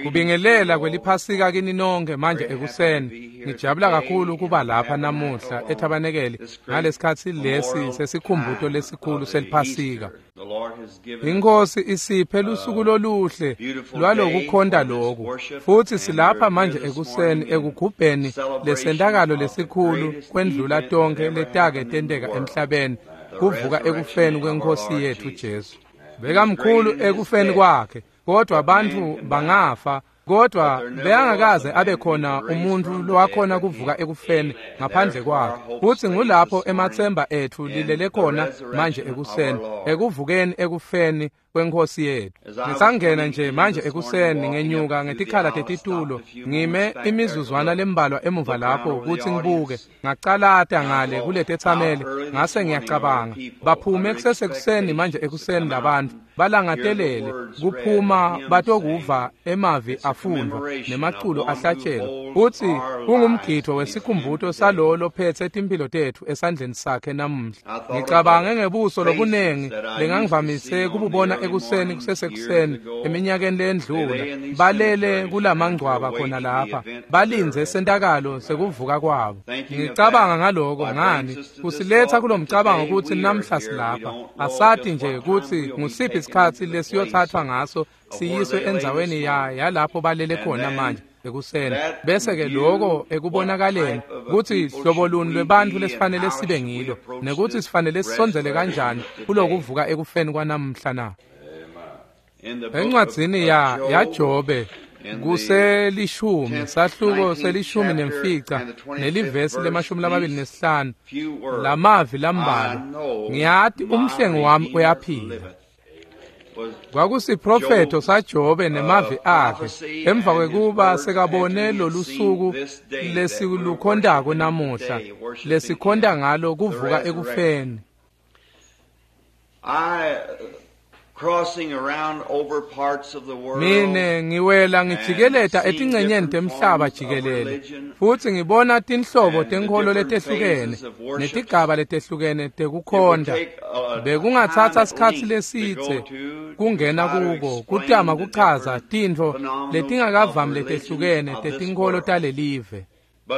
Kubingelela kweliphasika kini nonke manje ekuseni. Ngijabula kakhulu kuba lapha namuhla ethabanekeli ngalesikhatsi lesi sesikhumbuto lesikhulu seliphasika. Inkosi isiphe lusuku loluhle lwalokukhonta loku, futsi silapha manje ekuseni ekugubheni lesentakalo lesikhulu kwendlula tonkhe letake tenteka emhlabeni, kuvuka ekufeni kweNkosi yethu Jesu. Bekamkhulu ekufeni kwakhe, kodwa bantfu bangafa, kodwa bekangakaze abe khona umuntfu lowakhona kuvuka ekufeni ngaphandle kwakhe. Futsi ngulapho ematsemba etfu lilele khona manje ekuseni, ekuvukeni ekufeni kweNkosi yethu. Ngisangena nje manje ekuseni ngenyuka ngetikhala tetitulo, ngime imizuzwana lembalwa emuva lapho kutsi ngibuke, ngacalata ngale kuletetsameli, ngase ngiyacabanga, baphume kusesekuseni manje ekuseni labantfu balangatelele kuphuma batokuva emavi afundvwa nemaculo ahlatshelwa. Futsi kungumgidvo wesikhumbuto salowo lophetse timphilo tetfu esandleni sakhe namuhla. Ngicabange ngebuso lobunengi lengangivamise kububona ekuseni kusesekuseni eminyakeni leyendlula, balele kulamangcwaba khona lapha, balindze sentakalo sekuvuka kwabo. Ngicabanga ngaloko ngani kusiletsa kulomcabango kutsi namhla silapha, asati nje kutsi ngusiphi isikhatsi lesiyothathwa ngaso siyiswe endzaweni yalapho balele khona manje ekuseni. Bese-ke loko ekubonakaleni kutsi hlobo luni lwebantfu lesifanele sibe ngilo, nekuthi sifanele sisondzele kanjani kulokuvuka ekufeni kwanamhla na. Encwadzini yaJobe kuselishumi, sahluko selishumi nemfica nelivesi le-25, lamavi lambalwa: ngiyati umhlengi wami uyaphila. Kwakusiprofetho saJobe nemavi akhe emva kwekuba sekabone lolusuku lesilukhondako namuhla, lesikhonta ngalo kuvuka ekufeni. Mine ngiwela ngijikeleta etincenyeni temhlaba jikelele, futsi ngibona tinhlobo tenkholo letehlukene netigaba letehlukene tekukhonta. Bekungatsatsa sikhatsi lesidze kungena kuko kutama kuchaza tintfo letingakavami letehlukene tetinkholo talelive.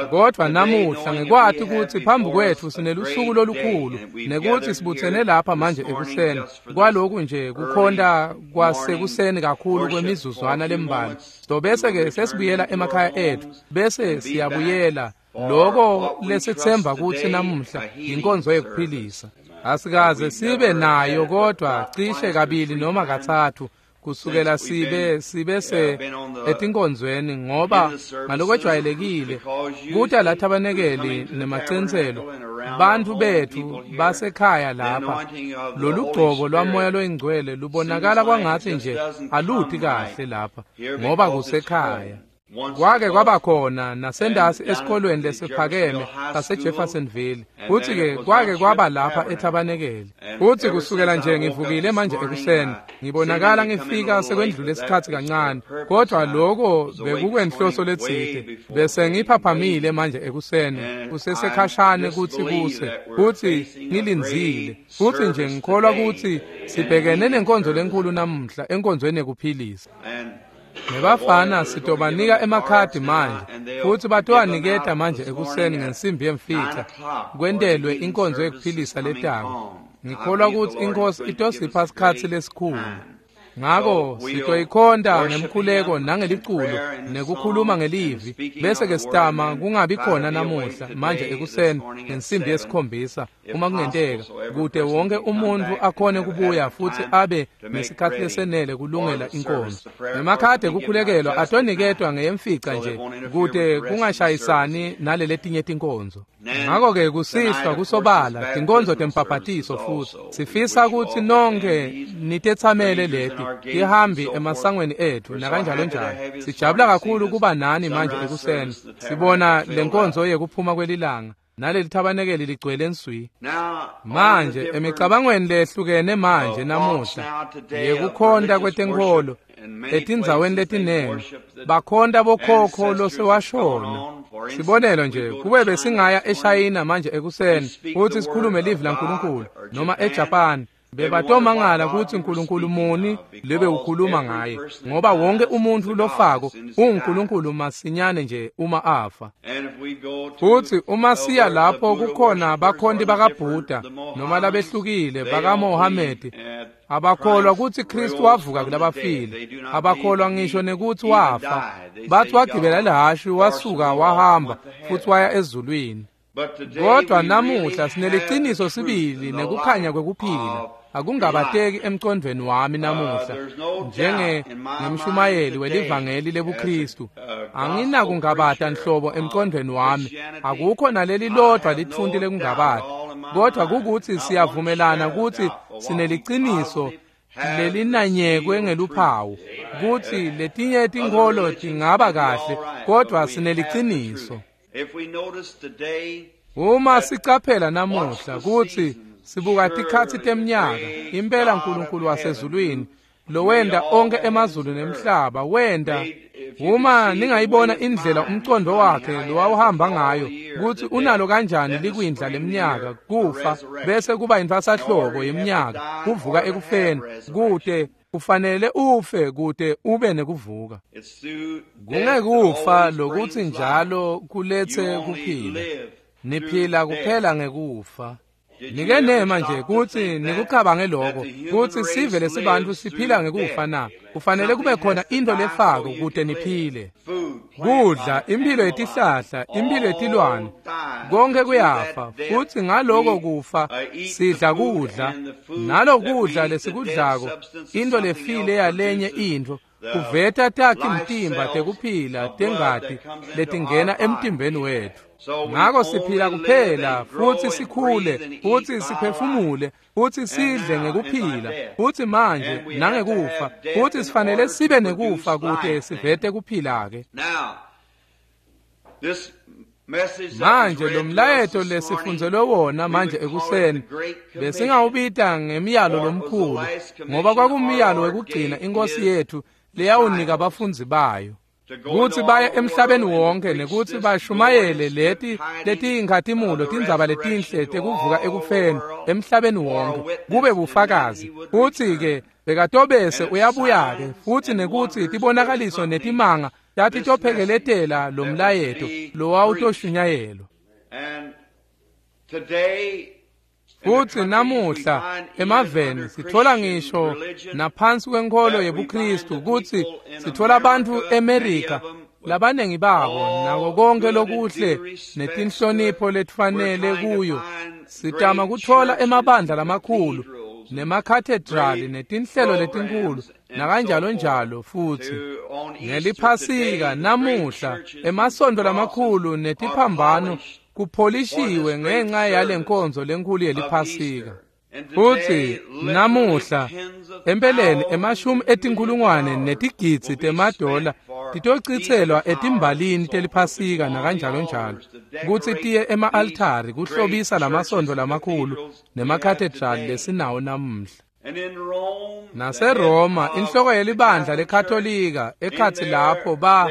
Kodwa namuhla ngekwati kutsi phambi kwetfu sinelusuku lolukhulu, nekuthi sibutsene lapha manje ekuseni kwaloku nje kukhonta kwasekuseni kakhulu kwemizuzwana lembalwa, sobese-ke sesibuyela emakhaya etfu, bese siyabuyela loko lesitsemba kutsi namuhla yinkonzo yekuphilisa. Asikaze sibe nayo kodwa cishe kabili noma katsatfu kusukela sibe se etinkonzweni, ngoba ngalokwejwayelekile kuta la thabanekeli nemaciniselo bantfu betfu basekhaya lapha, lolugcobo lwamoya loyingcwele lubonakala kwangatsi nje aluti kahle lapha ngoba kusekhaya. Kwake kwaba khona nasendasi esikolweni lesiphakeme saseJeffersonville, futsi-ke kwake kwaba lapha ethabanekeli. Futsi kusukela nje ngivukile manje ekuseni, ngibonakala ngifika sekwendlule isikhatsi kancane, kodwa loko bekukwenhloso letsite. Bese ngiphaphamile manje ekuseni, kusesekhashane kutsi kuse, futsi ngilindzile. Futsi nje ngikholwa kutsi sibhekene nenkonzo lenkhulu namuhla enkonzweni yekuphilisa. Nebafana sitobanika emakhadi manje, futsi batowaniketa manje ekuseni ngensimbi yemfica kwentelwe inkonzo yekuphilisa letako. Ngikholwa kutsi iNkosi itosipha sikhatsi lesikhulu. Ngako sitoyikhonta ngemkhuleko nangeliculo nekukhuluma ngelivi, bese-ke sitama kungabi khona namuhla manje ekuseni ngensimbi yesikhombisa uma kungenteka, kute wonke umuntfu akhone kubuya futsi abe nesikhatsi lesenele kulungela inkonzo. Emakhadi ekukhulekelwa atoniketwa ngeyemfica nje kute kungashayisani naleletinye tinkonzo. Ngako-ke kusihlwa kusobala tinkonzo tempapatiso, futsi sifisa kutsi nonke nitetsamele leti tihambi emasangweni etfu nakanjalo njalo. Sijabula kakhulu kuba nani manje ekuseni sibona lenkonzo yekuphuma kwelilanga naleli thabanekeli ligcwele nswi. Manje emicabangweni lehlukene manje namuhla yekukhonta kwetenkholo etindzaweni letinengi bakhonta bokhokho losewashona. Sibonelo nje, kube besingaya eShayina manje ekuseni futhi sikhulume livi laNkulunkulu, noma eJapan Bebatomangala kutsi Nkulunkulu muni lebe ukhuluma ngaye, ngoba wonke umuntfu lofako unguNkulunkulu masinyane nje uma afa. Futsi uma siya lapho kukhona bakhonti bakaBhuda noma labehlukile bakaMohamedi, abakholwa kutsi Kristu wavuka kulabafile, abakholwa ngisho nekutsi wafa. Bathi wagibela lihhashi wasuka wahamba futsi waya ezulwini. Kodwa namuhla sineliciniso sibili nekukhanya kwekuphila. Akungabateki emcondvweni wami namuhla njenge ngemshumayeli welivangeli lebuKristu. Anginakungabata nhlobo emcondvweni wami, akukho naleli lodvwa litfunti lekungabata. Kodwa kukutsi siyavumelana kutsi sineliciniso lelinanyekwe ngeluphawu, kutsi letinye tinkholo tingaba kahle, kodwa sineliciniso. Uma sicaphela namuhla kutsi sibuka tikhatsi temnyaka, impela Nkulunkulu wasezulwini lowenta onkhe emazulu nemhlaba wenta. Uma ningayibona indlela umcondo wakhe lowawuhamba ngayo, kutsi unalo kanjani likwindla lemnyaka, kufa bese kuba intfwasahlobo yeminyaka, kuvuka ekufeni, kute kufanele ufe kute ube nekuvuka. Kungekufa lokutsi njalo kuletse kuphila. Niphila kuphela ngekufa. Nike nema nje kutsi nikucabange lokho, kutsi sive lesibantfu siphila ngekufa na. Kufanele kube khona into lefako kute niphile. Kudla, imphilo yetihlahla, imphilo yetilwane, konke kuyafa, futsi ngaloko kufa sidla kudla, nalokudla lesikudlako, into lefile yalenye intfo, kuveta takhi mtimba tekuphila tengati letingena emtimbeni wetfu. Ngako siphila kuphela futsi sikhule futsi siphefumule futsi sidle ngekuphila futsi manje nangekufa, futsi sifanele sibe nekufa kute sivete kuphila-ke. Manje lo mlayeto lesifundzelwe wona manje ekuseni besingawubita ngemyalo lomkhulu, ngoba kwakumyalo wekugcina iNkosi yethu leyawunika abafundzi bayo kutsi baye emhlabeni wonke nekutsi bashumayele leti letiyinkhatimulo tindzaba letinhle tekuvuka ekufeni emhlabeni wonke kube bufakazi. Futsi-ke bekatobese uyabuya-ke futsi nekutsi tibonakaliso netimanga tatitophekeletela lo mlayeto lowawutoshunyayelwa. Futsi namuhla emaveni sithola ngisho naphansi kwenkholo yebuKristu kutsi sithola bantfu eMerika labanengi babo nako konke lokuhle netinhlonipho letifanele kuyo. Sitama kuthola emabandla lamakhulu nemakhathedrali netinhlelo letinkhulu nakanjalo njalo. Futsi ngeliphasika namuhla emasontfo lamakhulu netiphambano kupholishiwe ngenxa yalenkonzo lenkhulu yeliphasika. Futsi namuhla empeleni emashumi etinkhulungwane netigidzi temadola titocitselwa etimbalini teliphasika nakanjalo njalo, kutsi tiye ema-altari kuhlobisa lamasontfo lamakhulu nemakhathedrali lesinawo namuhla. NaseRoma, inhloko yelibandla leKatolika, ekhatsi lapho ba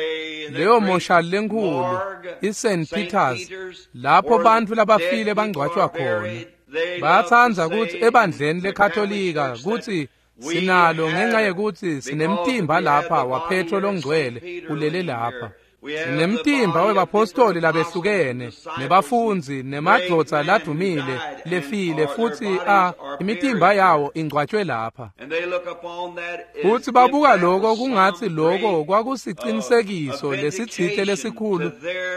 leyo moshali lenkhulu iSt Peters, lapho bantfu labafile bangcwatjwa khona. Bayatsandza kutsi ebandleni leKatolika kutsi sinalo ngenxa yekutsi sinemtimba lapha waPetro longcwele ulele lapha. Sinemtimba webapostoli labehlukene nebafundzi nemadvodza ladumile lefile, futsi imitimba yawo ingcwatjwe lapha. Futsi babuka loko kungatsi loko kwakusicinisekiso lesitsite lesikhulu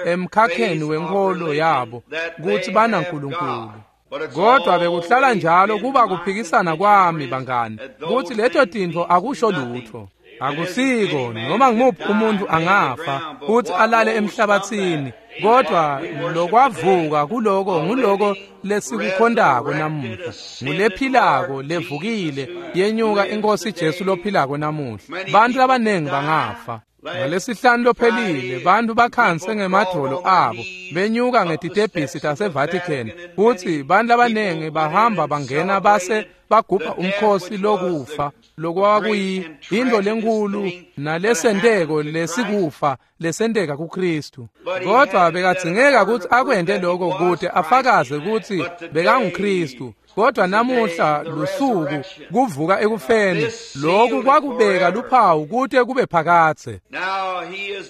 emkhakheni wenkholo yabo kutsi banaNkulunkulu. Kodwa bekuhlala njalo kuba kuphikisana kwami bangani kutsi leto tintfo akusho lutfo. Akusiko noma ngimuphi umuntu angafa futhi alale emhlabathini, kodwa lokwavuka kuloko nguloko lesikukhontako namuhla, ngulephilako levukile yenyuka iNkosi Jesu lophilako namuhla. Bantu labanengi bangafa. Ngalesihlanu lophelile bantu bakhanse ngemadvolo abo benyuka ngetitebhisi taseVatican, futsi bantu labanengi bahamba bangena base bagubha umkhosi lokufa lokwakuyi into lenkulu nalesenteko lesikufa lesenteka kuKristu. Kodwa bekadzingeka kutsi akwente lokho kute afakaze kutsi bekanguKristu. Kodwa namuhla lusuku kuvuka ekufeni. Lokhu kwakubeka luphawu kute kube phakadze.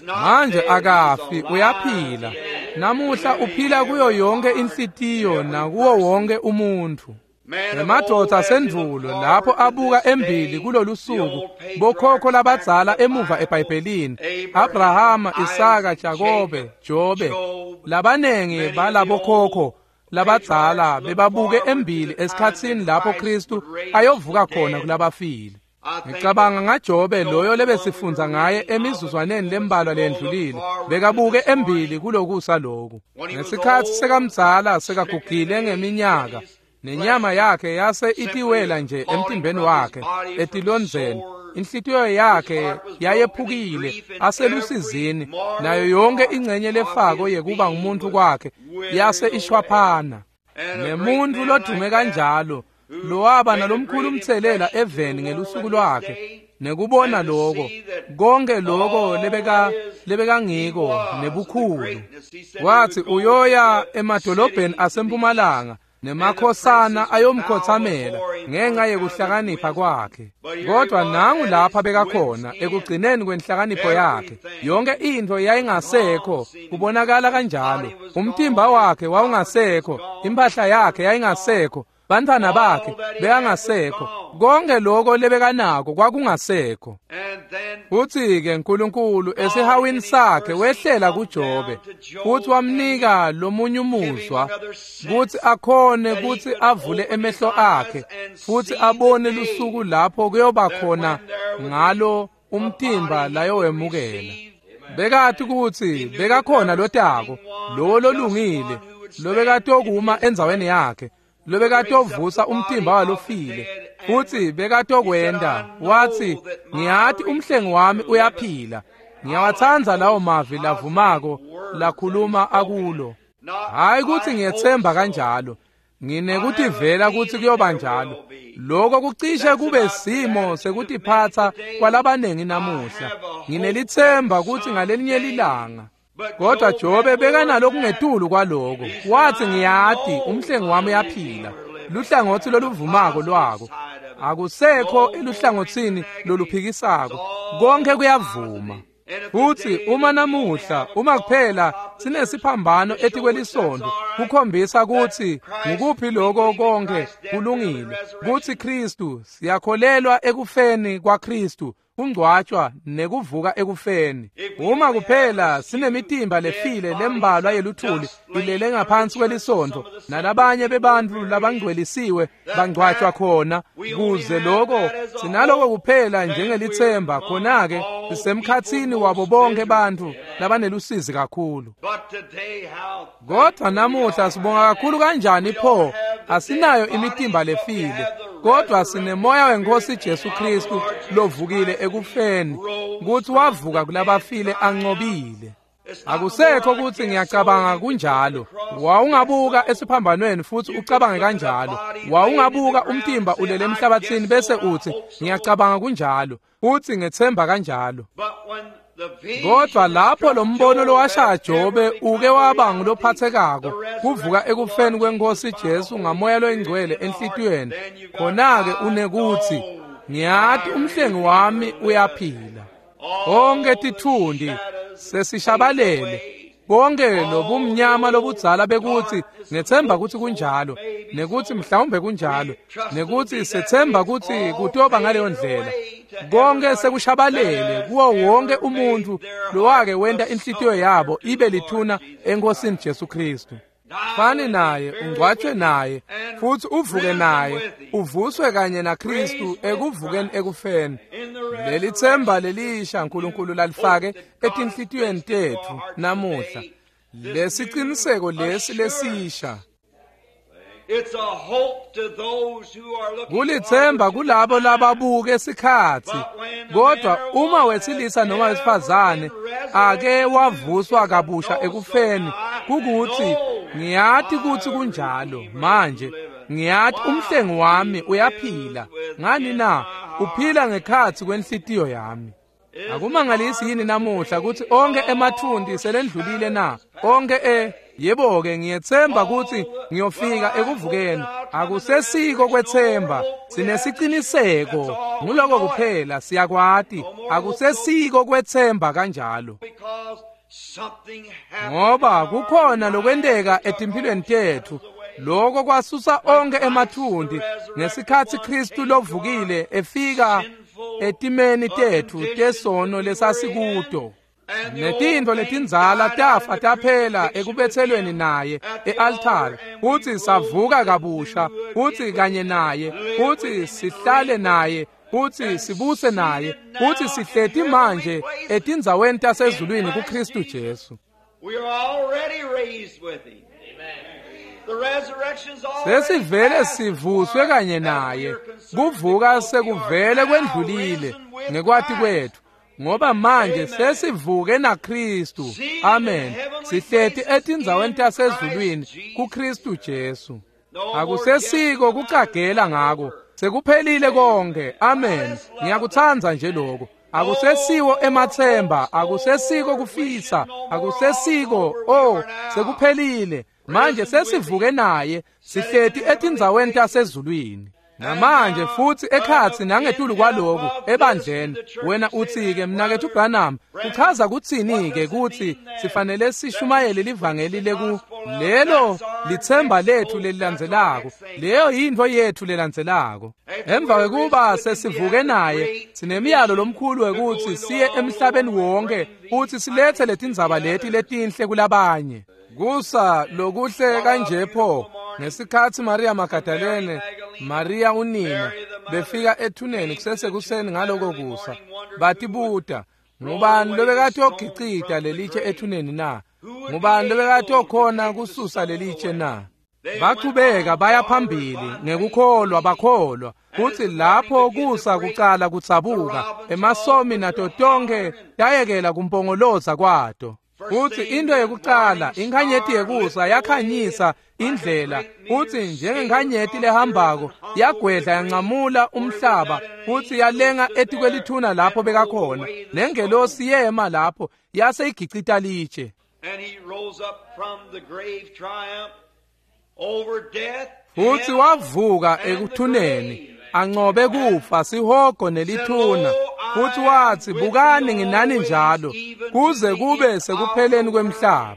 Manje akafi, uyaphila. Namuhla uphila kuyo yonke inhlitiyo nakuwo wonke umuntfu. Emadvodza asendvulo lapho abuka embili kulolu suku, bokhokho labadzala emuva eBhayibhelini, Abrahama, Isaka, Jakobe, Jobe, labanengi balabokhokho labadzala bebabuke embili esikhatsini lapho Kristu ayovuka khona kulabafile. Ngicabanga ngaJobe loyo lebesifundza ngaye emizuzwaneni lembalwa lendlulile, bekabuke embili kulokusa loku. Ngesikhatsi sekamdzala sekagugile ngeminyaka, nenyama yakhe yase itiwela nje emtimbeni wakhe etilondzeni, inhlitiyo yakhe yayephukile aselusizini, nayo yonke ingcenye lefako yekuba ngumuntu kwakhe yase ishwaphana. Nemuntu lodume kanjalo lowaba nalomkhulu umtselela eveni ngelusuku lwakhe, nekubona lokho konke lokho lebekangiko nebukhulu, wathi uyoya emadolobheni asempumalanga nemakhosana ayomkhothamela ngenxa yekuhlakanipha kwakhe. Kodwa nangu lapha bekakhona ekugcineni kwenhlakanipho yakhe, yonke into yayingasekho, kubonakala kanjalo. Umtimba wakhe wawungasekho, impahla yakhe yayingasekho, bantwana bakhe bekangasekho, konke lokho lebekanako kwakungasekho. Futhi-ke uNkulunkulu esihawini sakhe wehlela kuJobe futhi wamnika lomunye umuzwa kuthi akhone kuthi avule emehlo akhe futhi abone lusuku lapho kuyoba khona ngalo umtimba layowemukela. Bekathi kuthi bekakhona lotako lowo lolungile lobekatokuma endzaweni yakhe, lobekatovusa umtimba walofile, futhi bekatokwenda. Wathi, ngiyati umhlengi wami uyaphila. Ngiyawatsandza lawo mavi lavumako lakhuluma akulo. Hayi kuthi ngiyethemba kanjalo, nginekutivela kuthi kuyoba njalo. Lokho kucishe kube simo sekutiphatsa kwalabanengi namuhla. Nginelithemba kuthi ngalelinye lilanga. Kodwa Jobe bekanalokungetulu kwaloko. Wathi, ngiyati umhlengi wami uyaphila. Luhlangothi loluvumako lwako akusekho eluhlangothini loluphikisako, konke kuyavuma. Futhi uma namuhla, uma kuphela sinesiphambano etikwelisondo kukhombisa kuthi ngukuphi lokho konke kulungile, kuthi Kristu, siyakholelwa ekufeni kwaKristu, kungcwatshwa nekuvuka ekufeni. Uma kuphela sinemitimba lefile lembalwa yeluthuli ilele ngaphansi kwelisondo, nalabanye bebantfu labangcwelisiwe bangcwatshwa khona, kuze lokho sinaloko kuphela njengelithemba, khona-ke sisemkhatsini wabo bonke bantfu labanelusizi kakhulu. Kodwa namuhla sibonga kakhulu kanjani pho, asinayo imitimba lefile, kodwa sinemoya wenkosi Jesu Kristu lovukile ekufeni, kuthi wavuka kulabafile ancobile. Akusekho kuthi ngiyacabanga kunjalo. Wawungabuka esiphambanweni futhi ucabange kanjalo. Wawungabuka umtimba ulele emhlabathini bese uthi ngiyacabanga kunjalo, futhi ngethemba kanjalo. Kodwa lapho lo mbono lowashaya Jobe uke waba ngulophathekako, kuvuka ekufeni kwenkosi Jesu ngamoya loyingcwele enhlitiyweni, khona-ke unekuthi ngiyati umhlengi wami uyaphila. Onke tithundi sesishabalele, konke lobumnyama lobudzala bekuthi ngethemba kuthi kunjalo, nekuthi mhlawumbe kunjalo, nekuthi sethemba kuthi kutoba ngaleyo ndlela, konke sekushabalele kuwo wonke umuntu lowake wenta inhlitiyo yabo ibe lithuna enkosini Jesu Kristu. Fani naye, ungcwatshwe naye, futhi uvuke naye, uvuswe kanye naKristu ekuvukeni ekufeni. Leli themba lelisha uNkulunkulu lalifake etinhlitiyweni tetfu namuhla. Lesiciniseko lesi lesisha kulithemba kulabo lababuke sikhatsi. Kodwa uma wesilisa noma wesifazane ake wavuswa kabusha ekufeni, kukuthi ngiyati kuthi kunjalo manje, ngiyati umhlengi wami uyaphila. Ngani na? Uphila ngekhatsi kwenhlitiyo yami. Akumangalisi yini namuhla ukuthi onke emathunti selendlulile na? Onke yebo-ke ngiyethemba ukuthi ngiyofika ekuvukeni. Akusesiko kwetsemba, sinesiciniseko. Nguloko kuphela, siyakwati. Akusesiko kwetsemba kanjalo. Ngoba kukhona lokwenteka etimphilweni tetfu. Lokho kwasusa onke emathunti ngesikhatsi Kristu lovukile efika etimeni tetfu tesono lesasikuto. Netintfo letindzala tafa taphela ekubetselweni naye e-altare, futsi savuka kabusha, futsi kanye naye, futsi sihlale naye, futsi sibuse naye, futsi sihleti manje etindzaweni tasezulwini kuKristu Jesu. Sesivele sivuswe kanye naye. Kuvuka sekuvele kwendlulile ngekwati kwetfu, ngoba manje sesivuke naKristu. Amen. Sihleti etindzaweni tasezulwini kuKristu Jesu. Akusesiko kucagela ngako, sekuphelile konke. Amen. Ngiyakutsandza nje lokho. Akusesiwo ematsemba, akusesiko kufisa, akusesiko, oh, sekuphelile. Manje sesivuke naye, sihleti etindzaweni tasezulwini. Namanje futsi ekhatsi nangetulu kwaloku ebandleni, wena uthi-ke, mnaketfu Branham, kuchaza kutsini-ke kutsi sifanele sishumayele livangeli leku lelo litsemba letfu lelilandzelako, leyo yintfo yetfu lelandzelako. Emva kwekuba sesivuke naye, sinemiyalo lomkhulu wekutsi siye emhlabeni wonke futsi siletse letindzaba leti letinhle kulabanye. Kusa lokuhle kanje pho, ngesikhatsi Maria Magdalene, Maria unina, befika ethuneni kusesekuseni ngaloko kusa, batibuta, ngubani lobekatogicita lelitshe ethuneni na? Ngubani lobekatokhona kususa lelitshe na? Bachubeka baya phambili ngekukholwa, bakholwa kutsi lapho kusa kucala kutsabuka, emasomi nato tonkhe tayekela kumpongoloza kwato. Futsi into yekucala, inkhanyeti yekusa yakhanyisa indlela, futsi njengenkhanyeti lehambako yagwedla yancamula umhlaba, futsi yalenga etikwelithuna lapho bekakhona. Nengelosi yema lapho yase igicita litshe. Futsi wavuka ekuthuneni, ancobe kufa, sihogo nelithuna. Futsi watsi, bukani nginani njalo kuze kube sekupheleni kwemhlaba.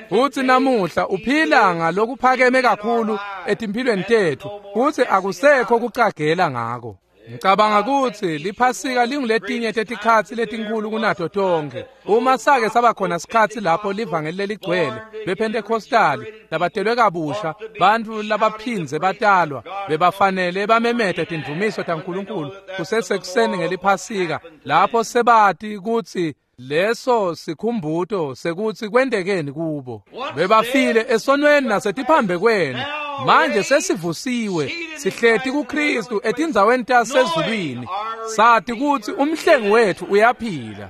Futsi namuhla uphila ngalokuphakeme kakhulu etimphilweni tetfu, futsi akusekho kucagela ngako. Ngicabanga kutsi liphasika linguletinye tetikhatsi letinkhulu kunato tonkhe. Uma sake saba khona sikhatsi lapho livangeli leligcwele bePentecostali labatelwe kabusha, bantfu labaphindze batalwa bebafanele bamemete tindvumiso taNkulunkulu kusesekuseni ngeliphasika, lapho sebati kutsi leso sikhumbuto sekutsi kwentekeni kubo. Bebafile esonweni nasetiphambekweni, manje sesivusiwe, sihleti kuKristu etindzaweni tasezulwini, sati kutsi umhlengi wetfu uyaphila.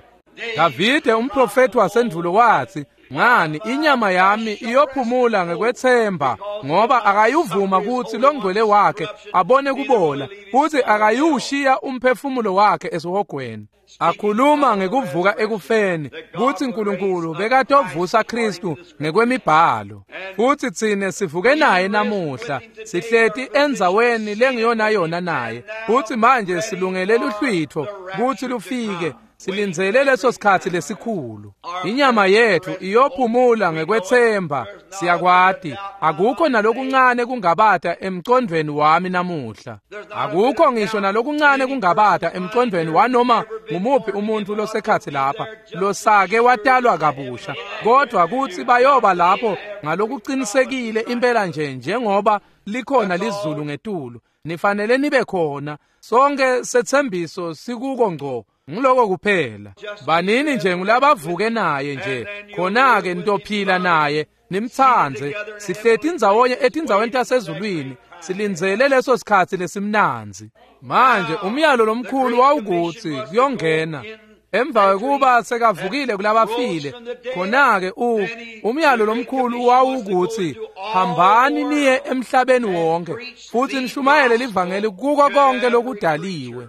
Davide umprofeti wasendvulo watsi, ngani inyama yami iyophumula ngekwetsemba, ngoba akayuvuma kutsi longcwele wakhe abone kubola, futsi akayushiya umphefumulo wakhe esihogweni. Akhuluma ngekuvuka ekufeni, kutsi Nkulunkulu bekatovusa Kristu ngekwemibhalo. Futsi tsine sivuke naye namuhla, sihleti endzaweni lengiyona yona naye, futsi manje silungele luhlwitfo kutsi lufike. Silindzele leso sikhatsi lesikhulu. Inyama yetfu iyophumula ngekwetsemba, siyakwati. Akukho nalokuncane kungabata emcondvweni wami namuhla. Akukho ngisho nalokuncane kungabata emcondvweni wanoma ngumuphi umuntfu losekhatsi lapha losake watalwa kabusha, kodvwa kutsi bayoba lapho ngalokucinisekile impela nje njengoba likhona lizulu ngetulu. Nifanele nibe khona. Sonke setsembiso sikuko ngco. Ngiloko kuphela. Banini nje ngulabavuke naye nje, khona-ke nitophila naye, nimtsandze. Sihleti ndzawonye etindzaweni tasezulwini, silindzele leso sikhatsi lesimnandzi. Manje umyalo lomkhulu wawukutsi kuyongena emva kwekuba sekavukile kulabafile, khona-ke umyalo lomkhulu wawukutsi hambani niye emhlabeni wonke futsi nishumayele livangeli kuko konke lokudaliwe.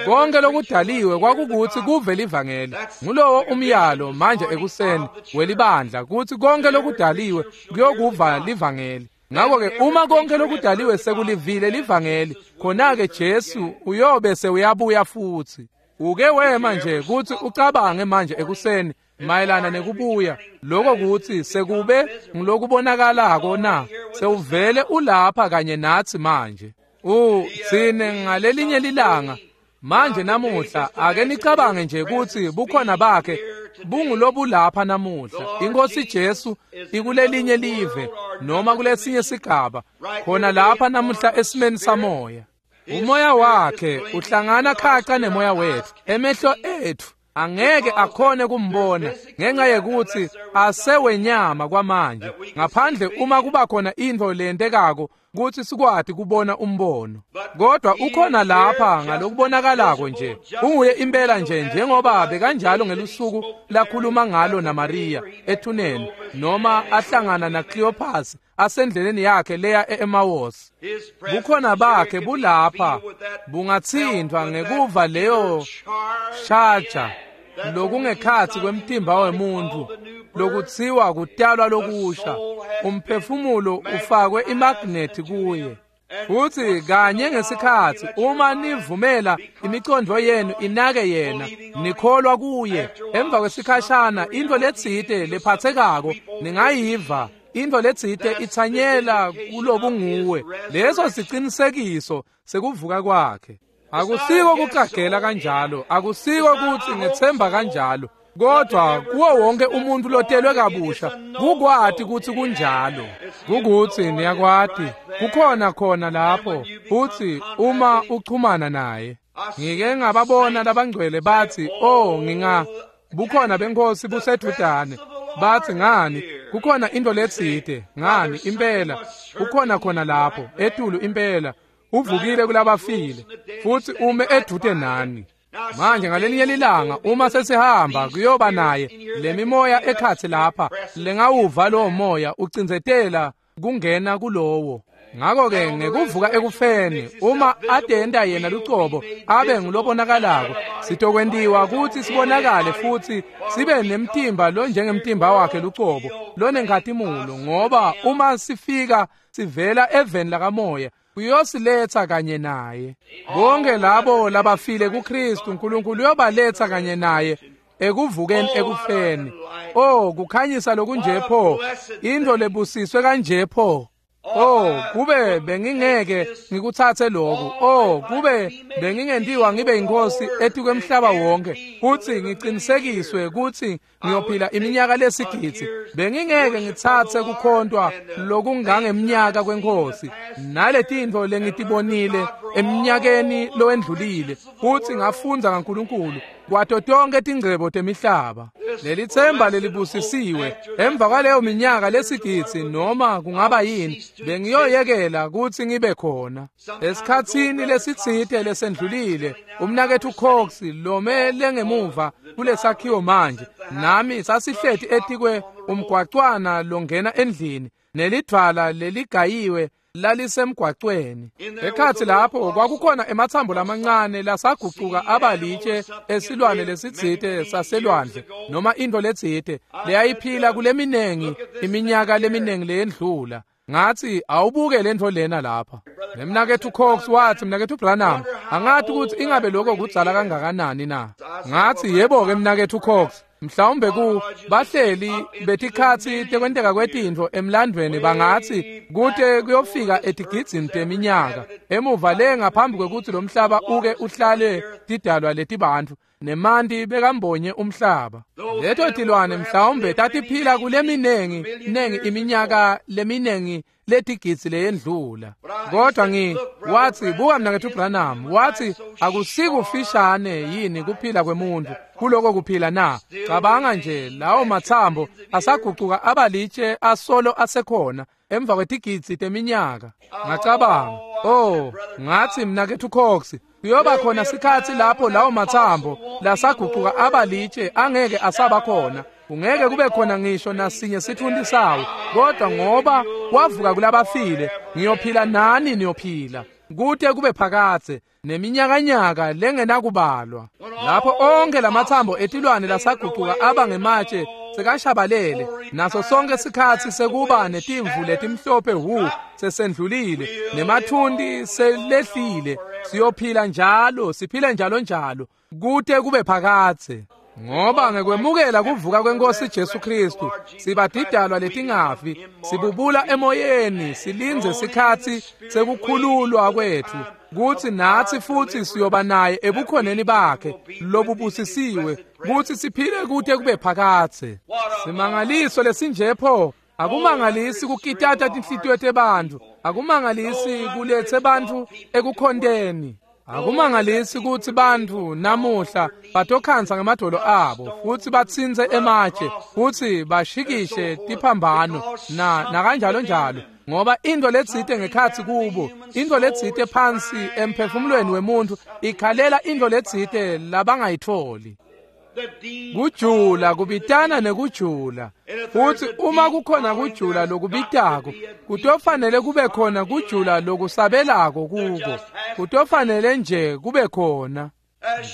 Konke lokudaliwe kwakukutsi kuve livangeli. Ngulowo umyalo manje ekuseni welibandla kutsi konke lokudaliwe kuyokuva livangeli. Ngakho-ke uma konke lokudaliwe sekulivile livangeli, khona-ke Jesu uyobe sewuyabuya futhi. Uke wema nje kuthi ucabange manje ekuseni mayelana nekubuya, lokho kuthi sekube ngilokubonakalako na? Sewuvele ulapha kanye nathi manje. Thine ngalelinye lilanga manje namuhla ake nicabange nje ukuthi bukhona bakhe bungulobulapha namuhla. Inkosi Jesu ikulelinye live noma kulesinye sigaba khona lapha namuhla esimeni samoya. Umoya wakhe uhlangana khaca nemoya wethu. Emehlo ethu angeke akhone kumbona ngenxa yekuthi asewenyama kwamanje, ngaphandle uma kuba khona into lentekako kuthi sikwati kubona umbono. Kodwa ukhona lapha ngalokubonakalako nje, unguye impela nje njengoba bekanjalo ngelusuku lakhuluma ngalo naMaria ethuneni, noma ahlangana naCleopas asendleleni yakhe leya e-Emmaus. Bukhona bakhe bulapha bungathintwa ngekuva leyo shaja lokungekhathi kwemtimba wemuntu lokuthiwa kutalwa lokusha. Umphefumulo ufakwe imagnethi kuye. Futhi kanye ngesikhathi uma nivumela imicondvo yenu inake yena, nikholwa kuye, emva kwesikhashana into letsite lephathekako ningayiva, into letsite ithanyela kulobunguwe. Leso sicinisekiso sekuvuka kwakhe. Akusiko kuqagela kanjalo, akusiko kuthi ngethemba kanjalo, kodwa kuwo wonke umuntu lotelwe kabusha kukwati ukuthi kunjalo. Kukuthi niyakwati kukhona khona lapho, futhi uma uchumana naye. Ngike ngababona labangcwele bathi, oh nginga bukhona benkosi busedudane. Bathi ngani kukhona into letsite, ngani impela kukhona khona lapho etulu impela, uvukile kulabafile futhi ume edude nani. Manje ngalelinye lilanga uma sesihamba kuyoba naye lemimoya ekhathi lapha lengawuva lowo moya ucindzetela kungena kulowo. Ngakho-ke ngekuvuka ekufeni uma adenda yena lucobo abe ngulobonakalako, sitokwentiwa kuthi sibonakale futhi sibe nemtimba lo njengemtimba wakhe lucobo lonenkhatimulo, ngoba uma sifika sivela eveni lakamoya uyosiletha kanye naye. Bonke labo labafile kuKristu uNkulunkulu uyobaletha kanye naye ekuvukeni ekufeni. Oh, kukhanyisa lokunje pho, into lebusiswe kanje pho. Oh, kube bengingeke ngikuthathe lokhu. Oh, kube bengingentiwa ngibe inkosi etukwemhlaba wonke futhi ngiqinisekiswe ukuthi ngiyophila iminyaka lesigidzi. Bengingeke ngithathe kukhontwa lokungangeminyaka kwenkosi naletinto lengitibonile eminyakeni lowendlulile, futhi ngafundza ngaNkulunkulu kwato tonke tingcebo temihlaba. Lelithemba lelibusisiwe emva kwaleyo minyaka lesigidzi noma kungaba yini, bengiyoyekela kuthi ngibe khona. Esikhatsini lesitsite lesendlulile, umnakethu Cox lome lengemuva kulesakhiwo manje, nami sasihleti etikwe umgwacwana longena endlini, nelidvwala leligayiwe lalisemgwacweni. Ekhathi lapho kwakukhona emathambo lamancane lasagucuka abalitshe esilwane lesitsite saselwandle noma into letsite leyayiphila kuleminengi iminyaka leminengi leyendlula. Ngathi awubuke lento lena lapha. Nemnakethu Cox wathi, mnakethu Branham, angathi ukuthi ingabe lokho kudzala kangakanani na. Ngathi yebo ke mnakethu Cox, mhlawumbe ku bahleli betikhatsi tekwenteka kwetintfo emlandweni bangathi kute kuyofika etigidzini teminyaka emuva le ngaphambi kwekuthi lo mhlaba uke uhlale tidalwa letibantfu nemanti bekambonye umhlaba. Leto tilwane mhlawumbe tatiphila kuleminengi nengi iminyaka leminengi letigidzi leyendlula. Kodwa wathi buka mnakethu Branham, wathi akusikufishane yini kuphila kwemuntu kuloko kuphila na? Cabanga nje lawo mathambo asagucuka abalitshe asolo asekhona emva kwetigidzi teminyaka. Ngacabanga, oh, ngathi mnakethu Cox, kuyoba khona sikhathi lapho lawo mathambo lasagucuka abalitshe angeke asaba khona. Kungeke kube khona ngisho nasinye sithundi sawo, kodwa ngoba wavuka kulabafile, ngiyophila nani niyophila kute kube phakadze neminyakanyaka lengenakubalwa. Lapho onke lamathambo etilwane lasagucuka aba ngematshe sekashabalele, naso sonke sikhatsi sekuba netimvu letimhlophe hu sesendlulile, nemathunti selehlile, siyophila njalo, siphile njalo njalo, kute kube phakadze. Ngoba ngekwemukela kuvuka kwenkosi Jesu Kristu, sibadidalwa letingafi, sibubula emoyeni, silindze sikhatsi sekukhululwa kwetfu, kutsi natsi futsi siyoba naye ebukhoneni bakhe lobubusisiwe, kutsi siphile kute kube phakadze. Simangaliso lesinjepho akumangalisi kukitata tinhlitiyo tebantfu, akumangalisi kulethe bantfu ekukhonteni. Akumangalisi kutsi bantfu namuhla batokhansa ngemadolo abo futsi batsintse ematshe futsi bashikishe tiphambano na nakanjalo njalo, ngoba into letsite ngekhatsi kubo, into letsite phansi emphefumulweni wemuntu ikhalela into letsite labangayitfoli. Kujula kubitana nekujula, futsi uma kukhona kujula lokubitako, kutofanele kube khona kujula lokusabelako kuko, kutofanele nje kube khona.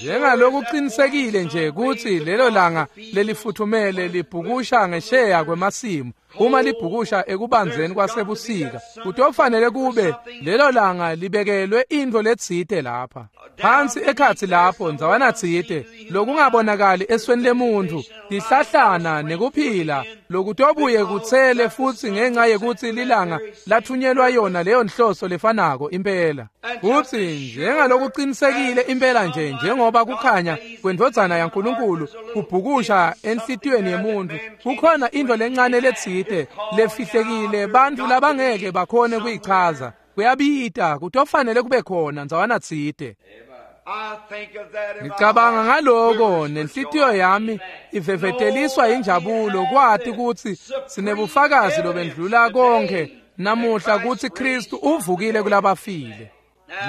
Njengalokuqinisekile nje kutsi lelo langa lelifuthumele libhukusha ngesheya kwemasimu, uma libhukusha ekubanzeni kwasebusika, kutofanele kube lelo langa libekelwe intfo letsite lapha phansi ekhatsi lapho ndzawana tsite lokungabonakali esweni lemuntfu, tihlahlana nekuphila lokutobuye kutsele futsi ngenxa yekutsi lilanga lathunyelwa yona leyo nhloso lefanako impela. Futsi njengalokuqinisekile impela nje njengoba kukhanya kwendvodzana yaNkulunkulu kubhukusha enhlitiyweni yemuntfu, kukhona intfo lencane letsite lefihlekile bantfu labangeke bakhone kuyichaza. Kuyabita, kutofanele kube khona ndzawana tsite. Ngicabanga ngaloko nenhlitiyo yami iveveteliswa injabulo kwati kutsi sinebufakazi lobendlula konke namuhla kutsi Kristu uvukile kulabafile.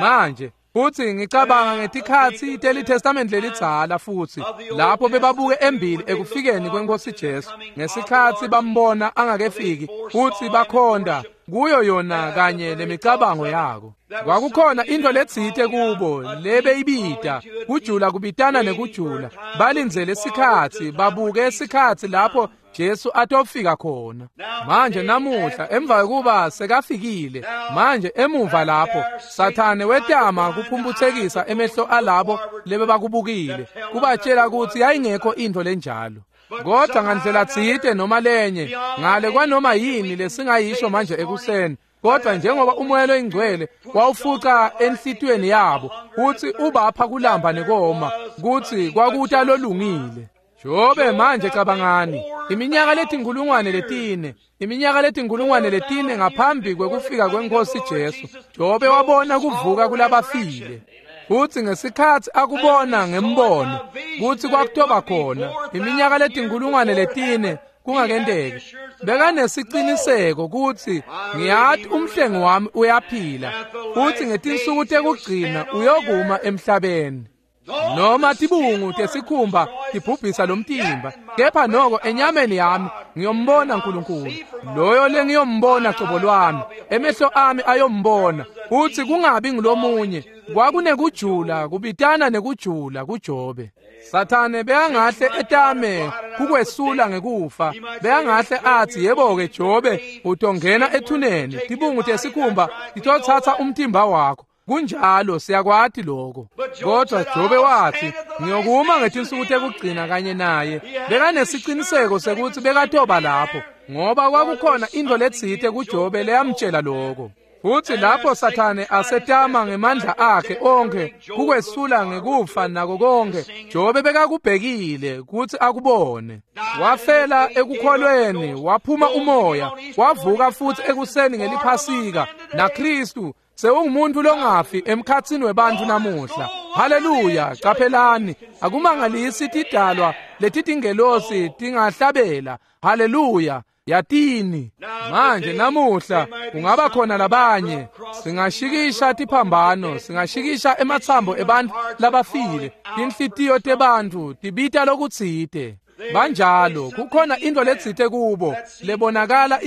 Manje futsi ngicabanga ngetikhatsi teliTestament lelidzala futsi lapho bebabuke embili ekufikeni kwenkosi Jesu, ngesikhatsi bambona angakefiki futsi bakhonda kuyo yona kanye lemicabango yako. Kwakukhona into letsite kubo lebeyibita kujula kubitana nekujula, balindzele sikhatsi, babuke sikhatsi lapho Jesu atofika khona. Manje namuhla emva kokuba sekafikile, manje emuva lapho Sathane wetama kuphumphutsekisa emehlo alabo lebebakubukile, kubatshela kutsi yayingekho intfo lenjalo. Kodwa ngandlela tsite noma lenye, ngale kwanoma yini lesingayisho manje ekuseni, kodwa njengoba umoya loyingcwele wawufuca enhlitiyweni yabo kutsi ubapha kulamba nekoma, kutsi kwakuta lolungile. Jobe manje cabangani, iminyaka letinkulungwane letine, iminyaka letinkulungwane letine ngaphambi kwekufika kwenkosi Jesu, Jobe wabona kuvuka kulabafile. Futsi ngesikhatsi akubona ngembono kutsi kwakutoba khona iminyaka letinkulungwane letine kungakenteki, bekanesiqiniseko kutsi ngiyati umhlengi wami uyaphila, futsi ngetinsuku tekugcina uyokuma emhlabeni. Noma tibungu tesikhumba tibhubhisa lomtimba, kepha noko enyameni yami ngiyombona uNkulunkulu, loyo lengiyombona cobo lwami, emehlo ami ayombona, futsi kungabi ngilomunye. Kwakunekujula kubitana nekujula kuJobe. Sathane bekangahle etame kukwesula ngekufa, bekangahle atsi yebo-ke Jobe utongena ethuneni, tibungu tesikhumba titotsatsa umtimba wakho. Kunjalo, siyakwati lokho. Kodwa Jobe wathi ngiyokuma ngetinsuku tekugcina kanye naye. Bekanesiqiniseko sekuthi bekatoba lapho, ngoba kwakukhona intfo letsite kuJobe leyamtshela lokho. Futsi lapho Sathane asetama ngemandla akhe onkhe kukwesula ngekufa nako konke, Jobe bekakubhekile kutsi akubone. Wafela ekukholweni, waphuma umoya, wavuka futsi ekuseni ngeliphasika naKristu sewungumuntu longafi emkhatsini webantfu namuhla. Haleluya! Qaphelani, akumangalisi tidalwa letitingelosi tingahlabela haleluya. Yatini manje namuhla kungaba khona labanye, singashikisha tiphambano, singashikisha ematsambo ebantfu labafile, tinhlitiyo tebantfu tibita lokutsite. Banjalo, kukhona intfo letsite kubo lebonakala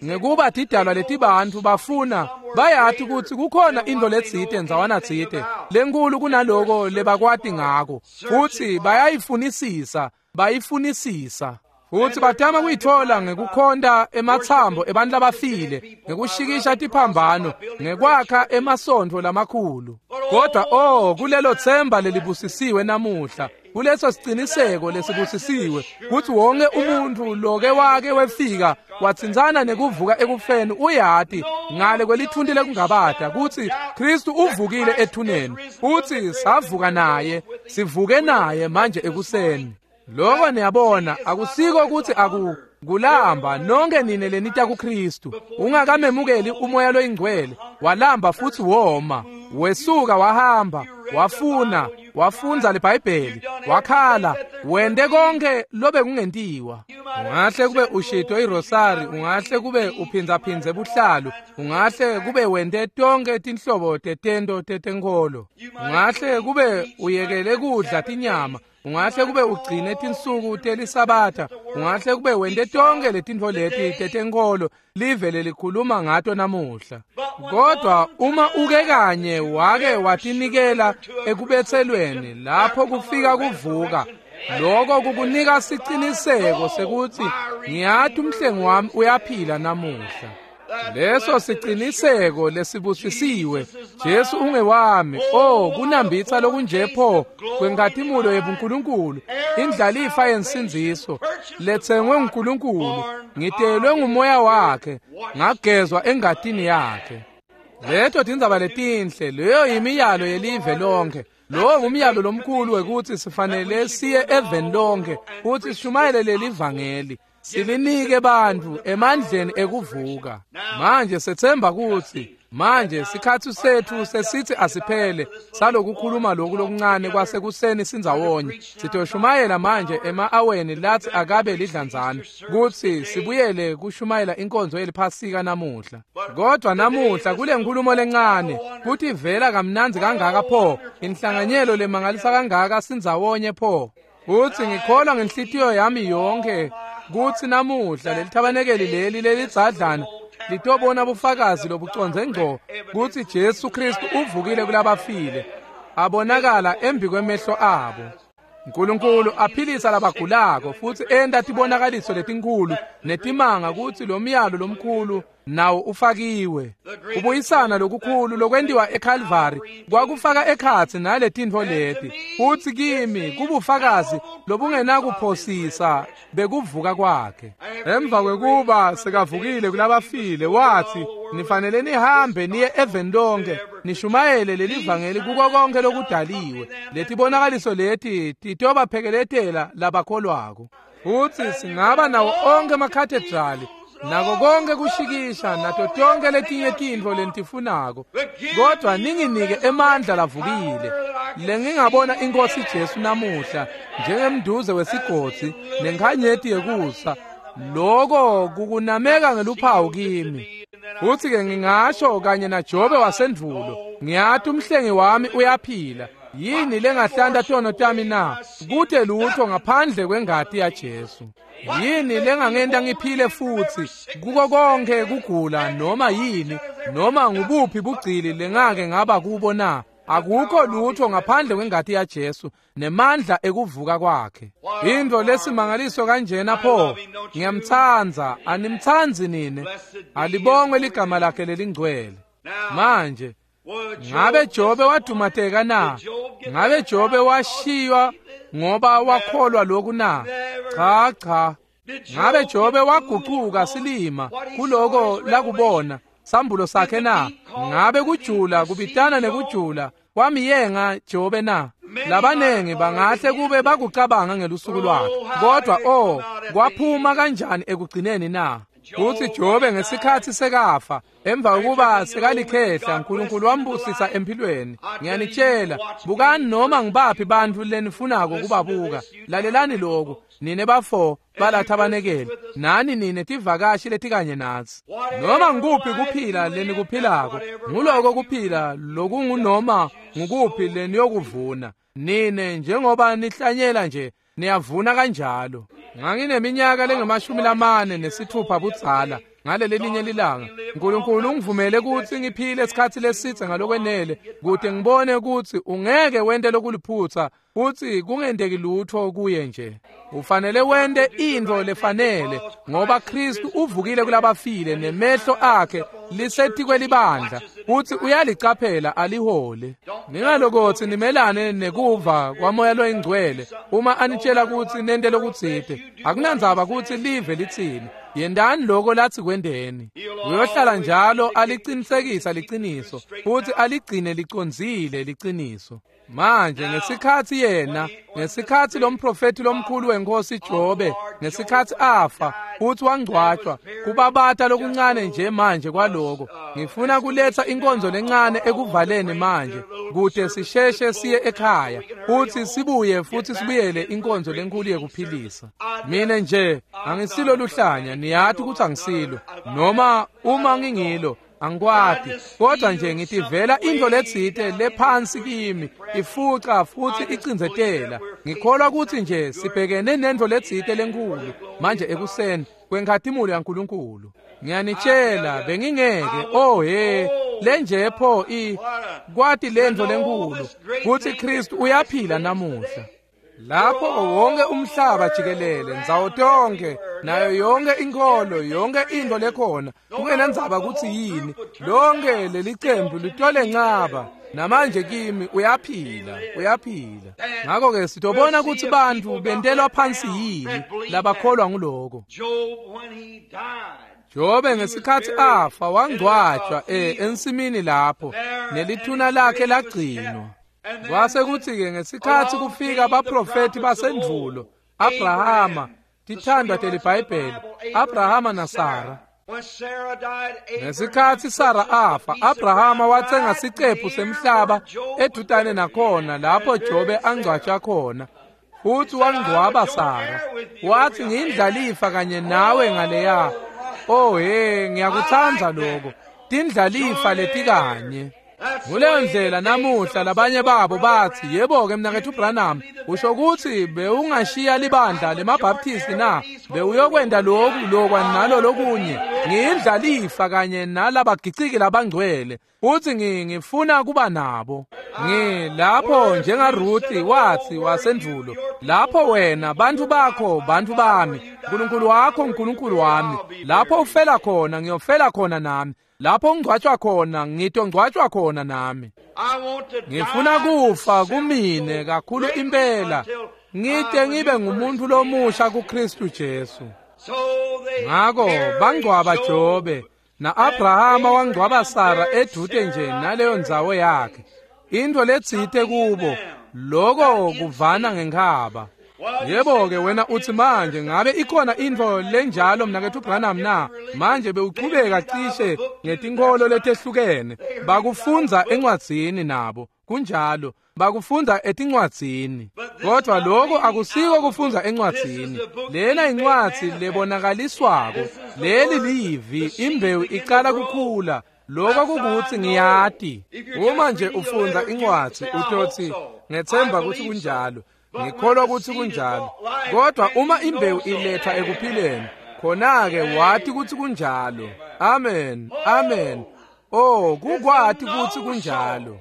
ngekuba tidalwa letibantfu bafuna, bayati kutsi kukhona intfo letsite ndzawana tsite lenkulu kunaloko lebakwati ngako, futsi bayayifunisisa, bayifunisisa. Futsi batama kuyitfola ngekukhonta ematsambo ebantfu labafile, ngekushikisha tiphambano, ngekwakha emasontfo lamakhulu. Kodwa oh, kulelo tsemba lelibusisiwe namuhla, kuleso siciniseko lesibusisiwe kutsi wonke umuntfu loke wake wefika watsintsana nekuvuka ekufeni uyati ngale kwelithunti lekungabata kutsi Kristu uvukile ethuneni, futsi savuka naye, sivuke naye manje ekuseni. Lokho niyabona akusiko kutsi kulamba nonke nine lenita kuKristu. Ungakamemukeli umoya loyingcwele, walamba futsi woma, wesuka wahamba, wafuna, wafundza liBhayibheli, wakhala, wente konke lobe kungentiwa. Ungahle kube ushito irosari, ungahle kube uphindzaphindze buhlalu, ungahle kube wente tonke tinhlobo tetento tetenkholo, ungahle kube uyekele kudla tinyama, ungahle kube ugcine tinsuku telisabatha, ungahle kube wente tonke letintfo leti tetenkholo live lelikhuluma ngato namuhla. Kodwa uma uke kanye wake watinikela ekubetselweni, lapho kufika kuvuka, lokho kukunika siciniseko sekuthi ngiyati umhlengi wami uyaphila namuhla. Leso siciniseko lesibusisiwe, Jesu ungewami. Oh, kunambitsa lokunje pho kwenkhatimulo yebuNkulunkulu, indlalifa yensindziso letsengwe nguNkulunkulu, ngitelwe ngumoya wakhe, ngagezwa engatini yakhe. Leto tindzaba letinhle, leyo yimiyalo yelive lonke. Lowo ngumyalo lomkhulu wekuthi sifanele siye eveni lonke futhi sishumayele leli vangeli, silinike bantfu emandleni ekuvuka. Manje sethemba kutsi manje sikhatsi setfu sesithi asiphele salokukhuluma loku lokuncane kwasekuseni sindzawonye. Sitoshumayela manje ema-aweni lathi akabe lidlanzana kutsi sibuyele kushumayela inkonzo yeliphasika namuhla. Kodwa namuhla kule nkulumo lencane kuthi vela kamnandzi kangaka pho, inhlanganyelo lemangalisa kangaka sindzawonye pho. Utsi ngikholwa ngenhlitiyo yami yonke kutsi namuhla lelithabanekeli leli lelidzadlana litobona bufakazi lobucondze ngco kutsi Jesu Kristu uvukile kulabafile, abonakala embi kwemehlo abo. Nkulunkulu aphilisa labagulako futsi enta tibonakaliso letinkhulu netimanga kutsi lo myalo lomkhulu nawo ufakiwe. Kubuyisana lokukhulu lokwentiwa eCalvary kwakufaka ekhatsi naletintfo leti, futsi kimi kubufakazi lobungenakuphosisa bekuvuka kwakhe. Emva kwekuba sekavukile kulabafile, wathi nifanele nihambe niye eveni lonke nishumayele leli vangeli kuko konke lokudaliwe. Letibonakaliso leti titobaphekeletela labakholwako. Futsi singaba nawo onke amakhathedrali nako konke kushikisha nato tonke letinye tintfo lentifunako, kodwa ninginike emandla lavukile lengingabona inkosi Jesu namuhla njengemduze wesigodzi nenkhanyeti yekusa. Loko kukunameka ngeluphawu kimi. Futsi ke ngingasho kanye naJobe wasendvulo, ngiyati umhlengi wami uyaphila. Yini lengahlanta tono tami na? Kute lutho ngaphandle kwengati yaJesu. Yini lengangenta ngiphile futsi kuko konke kugula noma yini noma ngubuphi bugcili lengake ngaba kubo na? Akukho lutho ngaphandle kwengati yaJesu nemandla ekuvuka kwakhe. Into lesimangaliso kanjena pho, ngiyamtsandza, animtsandzi nine? Alibongwe ligama lakhe lelingcwele. Manje ngabe Jobe wadumateka na? Ngabe Jobe washiywa ngoba wakholwa lokhu na? Cha cha. Ngabe Jobe wagucuka silima kuloko lakubona sambulo sakhe na? Ngabe kujula kubitana nekujula kwamiyenga Jobe na? Labanengi bangahle kube bakucabanga ngelusuku lwakhe, kodwa oh, kwaphuma kanjani ekugcineni na? Kutsi Jobe ngesikhatsi sekafa, emva kokuba sekalikhehla, uNkulunkulu wambusisa empilweni. Ngiyanitshela, bukani noma ngibaphi bantfu lenifunako kubabuka. Lalelani lokhu, nine bafo balathabanekeli, nani nine tivakashi letikanye natsi. Noma ngikuphi kuphila lenikuphilako, nguloko kuphila lokungunoma ngukuphi leniyokuvuna. Nine njengoba nihlanyela nje, niyavuna kanjalo. Ngangineminyaka lengamashumi lamane nesithupha budzala. ngalelelinye lilanga. Nkulunkulu ungivumele kutsi ngiphile isikhatsi lesitse ngalokwenele kute ngibone kutsi ungeke wente lokuliphutsa futsi kungenteki lutfo kuye nje. Ufanele wente intfo lefanele ngoba Khristu uvukile kulabafile nemehlo akhe lisetikwe libandla futsi uyalicaphela alihole. Ningalokotsi nimelane nekuva kwaMoya loyiNgcwele uma anitshela kutsi nente lokutsite. Akunandzaba kutsi live litsini, yentani loko latsi kwenteni. Uyohlala njalo alicinisekisa liciniso futsi aligcine licondzile liciniso. Manje ngesikhatsi yena, ngesikhatsi lomprofeti lomkhulu wenkosi Jobe, ngesikhatsi afa futsi wangcwatjwa, kubabata lokuncane nje manje kwaloko. Ngifuna kuletsa inkonzo lencane ekuvaleni manje kute sisheshe siye ekhaya futsi sibuye futsi sibuyele inkonzo lenkulu yekuphilisa. Mine nje angisilo luhlanya, niyati kutsi angisilo, noma uma ngingilo angikwati, kodwa nje ngitivela intfo letsite lephansi kimi ifuca futsi icindzetela. Ngikholwa kutsi nje sibhekene nentfo letsite lenkulu manje ekuseni kwenkhatimulo yaNkulunkulu. Ngiyanitshela bengingeke, oh he, lenje pho i kwati lentfo lenkulu kutsi Khristu uyaphila namuhla. Lapho wonke umhlaba jikelele, ndzawo tonkhe, nayo yonke inkholo, yonke intfo lekhona, kungenandzaba kutsi yini, lonke lelicembu litole ncaba. Namanje kimi uyaphila, uyaphila. Ngakho-ke sitobona kutsi bantfu bentelwa phansi yini labakholwa nguloko. Jobe ngesikhatsi afa wangcwatjwa ensimini lapho, nelithuna lakhe lagcinwa. Kwase kutsi-ke ngesikhatsi kufika baprofethi basendvulo, Abrahama, tithandwa teliBhayibheli, Abrahama naSara. Ngesikhatsi Sara afa, Abrahama watsenga sicephu semhlaba edutane nakhona lapho Jobe angcwatjwa khona. Futsi wangcwaba Sara. Watsi ngiyindlalifa kanye nawe ngaleya. Oh he, ngiyakutsandza lokho. Tindlalifa letikanye. Nguleyo ndlela namuhla labanye babo batsi, yebo-ke mnaketfu Branham, usho kutsi bewungashiya libandla lemaBaptisti na? Bewuyokwenta loku lokwa nalo lokunye. Ngiyindlalifa kanye nalabagiciki labangcwele, futsi ngifuna kuba nabo. Ngilapho njengaRuthi watsi wasendvulo, lapho wena bantfu bakho bantfu bami, Nkulunkulu wakho Nkulunkulu wami, lapho ufela khona ngiyofela khona nami. Lapho ngcwatjwa khona ngitongcwatjwa khona nami. Ngifuna kufa kumine kakhulu impela, ngite ngibe ngumuntu lomusha kuKristu Jesu. Ngako bangcwaba Jobe, na-Abrahama wangcwaba Sara edvute nje naleyo ndzawo yakhe. Intfo letsite kubo, loko kuvana ngenkhaba. Yebo-ke wena utsi manje ngabe ikhona intfo lenjalo mnaketfu Branham na? Manje bewuchubeka cishe ngetinkholo letehlukene. Bakufundza encwadzini nabo, kunjalo, bakufundza etincwadzini. Kodwa lokho akusiko kufundza encwadzini. Lena incwadzi lebonakaliswako. Leli livi, imbewu icala kukhula. Lokho kukutsi ngiyati. Uma nje ufundza incwadzi utotsi ngethemba kutsi kunjalo. Ngikholwa kutsi kunjalo. Kodwa uma imbewu iletha ekuphileni, khona-ke wati kutsi kunjalo. Amen, amen. Oh, kukwati kutsi kunjalo.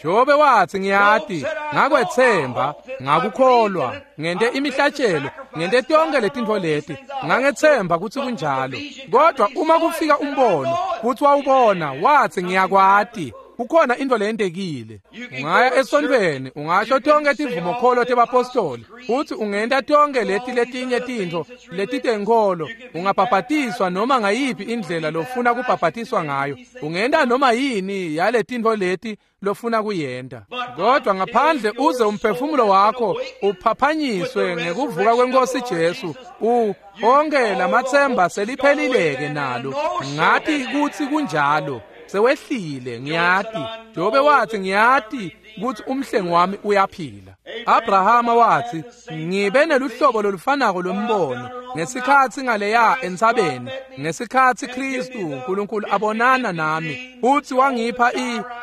Jobe watsi ngiyati, ngakwetsemba, ngakukholwa, ngente imihlatshelo, ngente tonkhe letintfo leti, ngangethemba kutsi kunjalo. Kodwa uma kufika umbono, kutsi wawubona, watsi ngiyakwati. Kukhona intfo leyentekile. Ungaya esontfweni, ungasho tonkhe tivumokholo tebapostoli, futsi ungenta tonkhe leti letinye tintfo letitenkholo, ungabhabhatiswa noma ngayiphi indlela lofuna kubhabhatiswa ngayo, ungenta noma yini yaletintfo leti lofuna kuyenta. Kodwa ngaphandle uze umphefumulo wakho uphaphanyiswe ngekuvuka kwenkosi Jesu, onke lamatsemba seliphelileke nalo. Ngati kutsi kunjalo. Sewehlile, ngiyati. Jobe watsi ngiyati kutsi umhlengi wami uyaphila. Abrahama watsi ngibe neluhlobo lolufanako lwembono ngesikhatsi ngaleya entsabeni, ngesikhatsi Khristu uNkulunkulu abonana nami futsi wangipha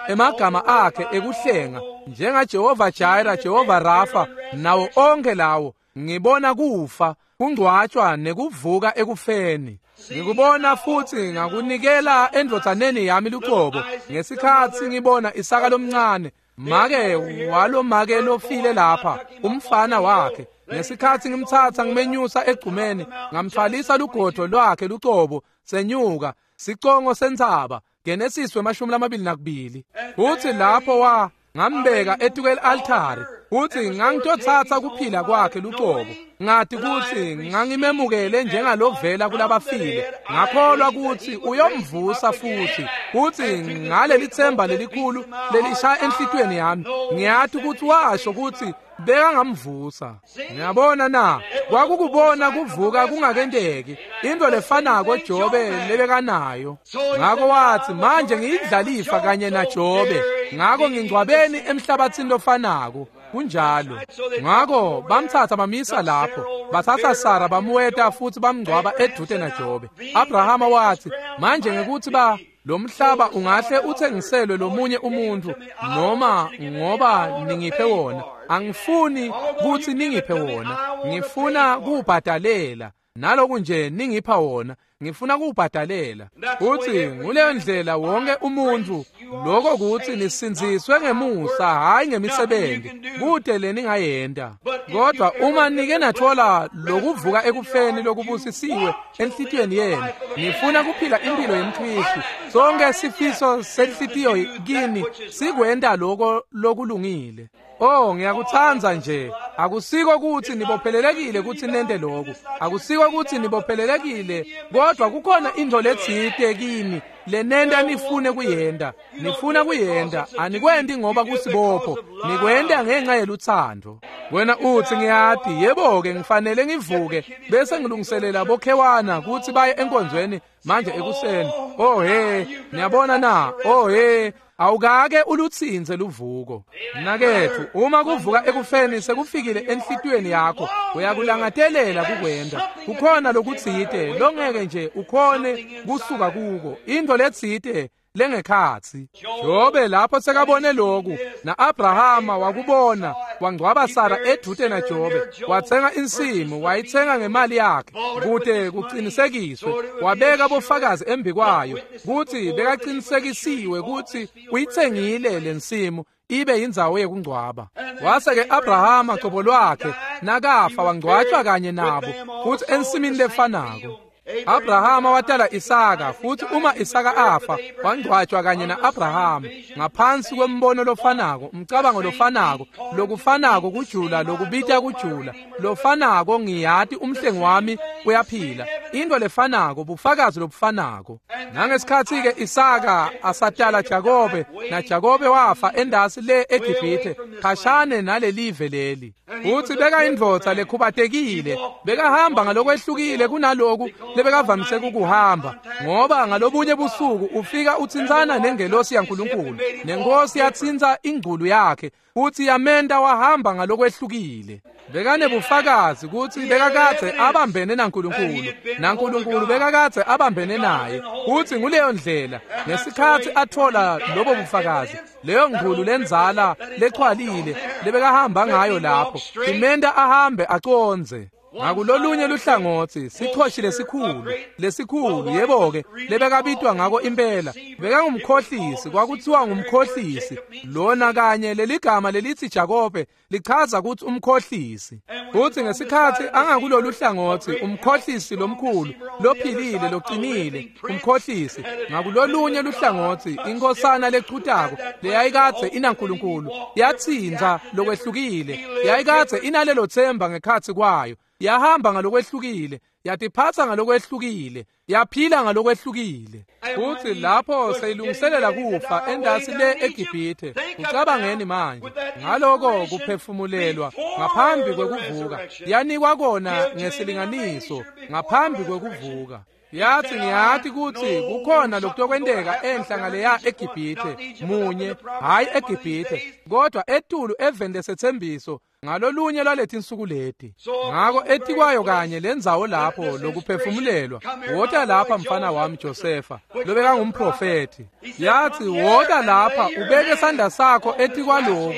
emagama akhe ekuhlenga njengaJehova Jireh, Jehova Rafa, nawo onke lawo. Ngibona kufa kungcwatshwa nekuvuka ekufeni. Ngikubona futhi ngakunikela endvodzaneni yami lucobo ngesikhatsi ngibona Isaka lomncane, make walomake lofile lapha, umfana wakhe. Ngesikhatsi ngimtsatsa ngimenyusa egcumeni, ngamthwalisa lugodo lwakhe lucobo, senyuka sicongo sentsaba, Genesis 22. Futhi lapho ngambeka etukel altare, futhi ngangitotsatsa kuphila kwakhe lucobo. Ngathi kutsi ngangimemukele njengalovela kulabafile, ngakholwa kutsi uyomvusa futhi. Futhi ngaleli themba lelikhulu lelishaya enhlitiyweni yami, ngiyathi kutsi washo kutsi bekangamvusa. Ngiyabona na, kwakukubona kuvuka kungakenteki, into lefanako Jobe lebekanayo. Ngako wathi, manje ngiyindlalifa kanye naJobe, ngako ngingcwabeni emhlabathini lofanako. Kunjalo. Ngako bamthatha bamisa lapho, bathatha Sara bamuweta futhi bamngcwaba edute naJobe. Abrahama wathi, manje ngekuthi ba lo mhlaba ungahle uthengiselwe lomunye umuntu, noma ngoba ningiphe wona, angifuni kutsi ningiphe wona, ngifuna kuwubhadalela. Naloku nje ningipha wona, ngifuna kuwubhadalela. Futhi nguleyo ndlela wonke umuntu, lokho kutsi nisindziswe ngemusa, hhayi ngemisebenzi, kute leningayenta. Kodwa uma nike nathola lokuvuka ekufeni lokubusisiwe enhlitiyweni yenu, nifuna kuphila impilo yemKhristu, sonke sifiso senhlitiyo kini sikwenta lokho lokulungile. Oh, ngiyakutsandza nje. Akusiko kutsi nibophelelekile kutsi nente lokhu, akusiko kutsi nibophelelekile, kodwa kukhona intfo letsite kini lenenta nifune kuyenta. Nifuna kuyenta, anikwenti ngoba kusibopho, nikwenta ngenxa yelutsandvo. Wena utsi, ngiyati, yebo-ke ngifanele ngivuke bese ngilungiselela bokhewana kutsi baye enkonzweni manje ekuseni. Oh he, niyabona na? Oh he, awukake ulutsintse luvuko. Mnaketfu, uma kuvuka ekufeni sekufikile enhlitiyweni yakho, uyakulangatelela kukwenta. Kukhona lokutsite longeke nje ukhone kusuka kuko, intfo letsite lengekhatsi. Jobe lapho sekabone loku, na-Abrahama wakubona, wangcwaba Sara edvute naJobe, watsenga insimu, wayitsenga ngemali yakhe kute kucinisekiswe, wabeka bofakazi embikwayo kutsi bekaqinisekisiwe kutsi uyitsengile lensimu ibe indzawo yekungcwaba. Wase-ke Abrahama cobo lwakhe nakafa wangcwatshwa kanye nabo futhi ensimini lefanako. Abrahama watala Isaka, futhi uma Isaka afa wangcwatshwa kanye na-Abrahama ngaphansi kwembono lofanako, umcabango lofanako, lokufanako kujula, lokubita kujula, lofanako, ngiyati umhlengi wami uyaphila, into lefanako, bufakazi lobufanako. Nangesikhatsi-ke Isaka asatala Jakobe, naJakobe wafa endasi le eGibhithe, khashane nalelive leli. Futhi bekayindvodza lekhubatekile, bekahamba ngalokwehlukile kunaloku lebekavamise ukuhamba, ngoba ngalobunye busuku ufika utsintsana nengelosi yaNkulunkulu, nenkosi yatsintsa ingculu yakhe futhi yamenta wahamba ngalokwehlukile. Bekanebufakazi kutsi bekakadze abambene naNkulunkulu, naNkulunkulu bekakadze abambene naye. Futhi nguleyo ndlela ngesikhatsi athola lobo bufakazi, leyo ngculu lendzala lechwalile lebekahamba ngayo lapho imenta ahambe acondze. Ngakulolunye luhlangotsi, sichoshi lesikhulu, lesikhulu, yebo-ke, lebekabitwa ngako impela, bekangumkhohlisi, kwakuthiwa ngumkhohlisi. Lona kanye leligama lelithi Jakobe lichaza kutsi umkhohlisi. Futhi ngesikhatsi angakulolu hlangotsi, umkhohlisi lomkhulu, lophilile, loqinile, umkhohlisi. Ngakulolunye luhlangotsi, inkosana lechutako leyayikadze inaNkulunkulu, yatsintsa lokwehlukile, yayikadze inalelo themba ngekhatsi kwayo. Yahamba ngalokwehlukile, yatiphatsa ngalokwehlukile, yaphila ngalokwehlukile. Futhi lapho seyilungiselela kufa endasi le eGibhithe, ucabangeni manje ngaloko kuphefumulelwa ngaphambi kwekuvuka, yanikwa kona ngesilinganiso ngaphambi kwekuvuka. Yathi, ngiyati kutsi kukhona lokutokwenteka enhla ngaleya eGibhithe, munye, hhayi eGibhithe, kodwa etulu eveni lesethembiso. ngalolunye lwaletinsuku leti. Ngako etikwayo kanye lendzawo lapho lokuphefumulelwa, wota lapha mfana wami Josefa, lobekangumprofethi. Yathi, wota lapha ubeke sandla sakho etikwaloku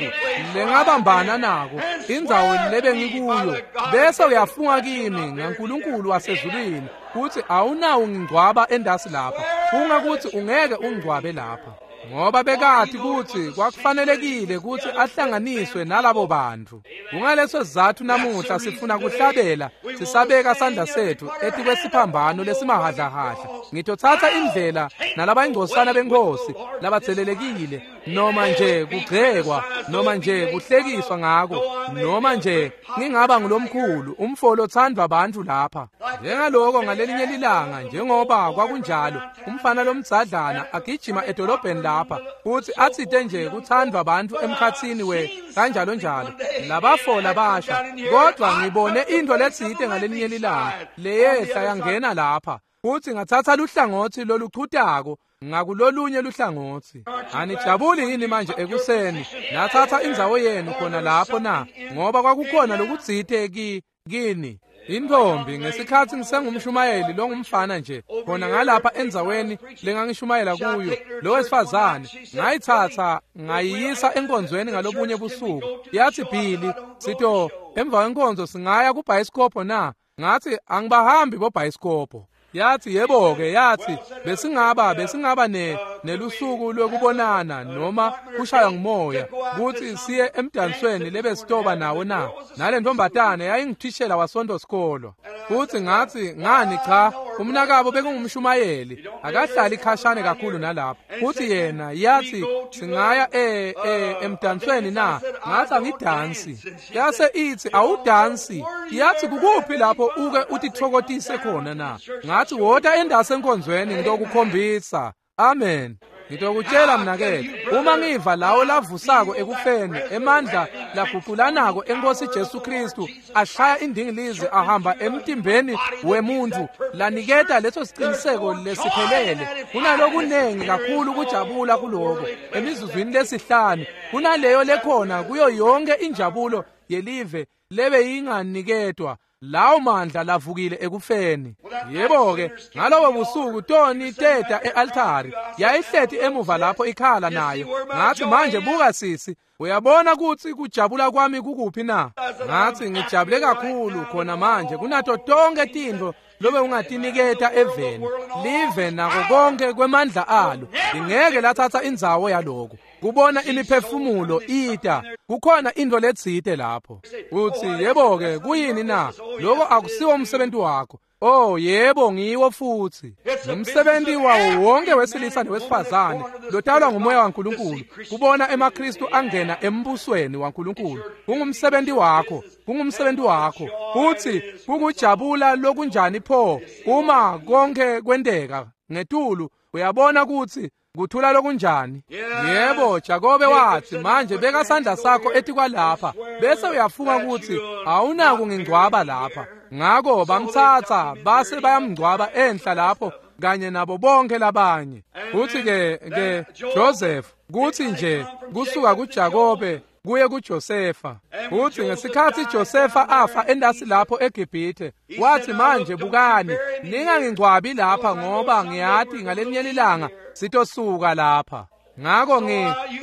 lengabambana nako, indzawo lebengikuyo, bese uyafunga kimi ngaNkulunkulu wasezulwini kutsi awunawo ngingcwaba endasi lapha. Funga kutsi ungeke ungcwabe lapha. Ngoba bekati kutsi kwakufanelekile kutsi ahlanganiswe nalabo bantfu. Kungaleso sizatfu namuhla sifuna kuhlabela sisabeka sandla setfu etikwesiphambano lesimahhadlahhadla. Ngitotsatsa indlela nalabayingcosana benkhosi labatselelekile, noma nje kugcekwa, noma nje kuhlekiswa ngako, noma nje ngingaba ngulomkhulu umfo lothandwa bantfu lapha. Njengaloko ngalelinye lilanga, njengoba kwakunjalo, umfana lomdzadlana agijima edolobheni lapha futsi atsite nje kuthandwa bantfu emkhatsini we kanjalo njalo labafo labasha, kodwa ngibone into letsite ngalelinye lilanga leyehla yangena lapha futsi ngathatha luhlangotsi loluchutako ngakulolunye luhlangotsi. Anijabuli yini manje ekuseni natsatsa indzawo yenu khona lapho na? Ngoba kwakukhona lokutsite kini. Intombi, ngesikhatsi ngisengumshumayeli longumfana nje khona ngalapha endzaweni lengangishumayela kuyo, lo wesifazane ngayitsatsa ngayiyisa enkonzweni ngalobunye busuku. Yathi, Billy, sito emva kwenkonzo singaya kubhayisikobho na? Ngathi, angibahambi bobhayisikobho. Yathi, yebo-ke, yathi besingaba nelusuku lwekubonana noma kushaywa ngumoya kutsi siye emdansweni lebesitoba nawo na. Nale ntombatane yayingithishela wasonto sikolo. Futsi ngathi, ngani cha, umnakabo bekungumshumayeli, akahlali khashane kakhulu nalapho. Futsi yena yathi, singaya emdansweni na? Ngathi, angidansi. Yase ithi, awudansi. Yathi, kukuphi lapho uke utithokotise khona na? Ngathi, wota endase enkonzweni ngitokukhombisa. Amen. Ngitokutshela mnaketfu, uma ngiva lawo lavusako ekufeni, emandla laguqulanako enkosi Jesu Kristu ashaya indingilizi ahamba emtimbeni wemuntu, laniketa leso siciniseko lesiphelele. Kunalokunengi kakhulu kujabula kuloko emizuzwini lesihlanu kunaleyo lekhona kuyo yonke injabulo yelive lebeyinganiketwa lawo mandla lavukile ekufeni. Yebo-ke, ngalobo busuku Toni teta e-altari, yayihleti emuva lapho ikhala nayo. Ngathi, manje buka sisi, uyabona kutsi kujabula kwami kukuphi na? Ngathi, ngijabule kakhulu khona manje kunato tonke tintfo lobe ungatiniketa eveni, live nako konke kwemandla alo. Lingeke lathatha indzawo yaloko. Kubona imiphefumulo ita, kukhona into letsite lapho. Uthi, yebo-ke, kuyini na? Loko akusiwo umsebenzi wakho. Oh, yebo, ngiwo futsi. Ngumsebenzi wawo wonke wesilisa newesifazane lotalwa ngumoya waNkulunkulu, kubona emaKristu angena embusweni waNkulunkulu. Kungumsebenzi wakho, kungumsebenzi wakho. Futsi kukujabula lokunjani pho uma konke kwenteka ngetulu, uyabona kutsi kuthula lokunjani. Yebo, Jakobe wathi, manje beka sandla sakho etikwalapha bese uyafunga kutsi awunako ngingcwaba lapha. Ngako bamtsatsa base bayamngcwaba enhla lapho kanye nabo bonke labanye. Futhi ke Joseph, kuthi nje kusuka kuJakobe kuye kuJosefa. Futhi ngesikhatsi Josefa afa endasi lapho eGibhithe, wathi, manje bukani, ningangingcwabi lapha ngoba ngiyati ngalelinye ilanga sitosuka lapha. Ngako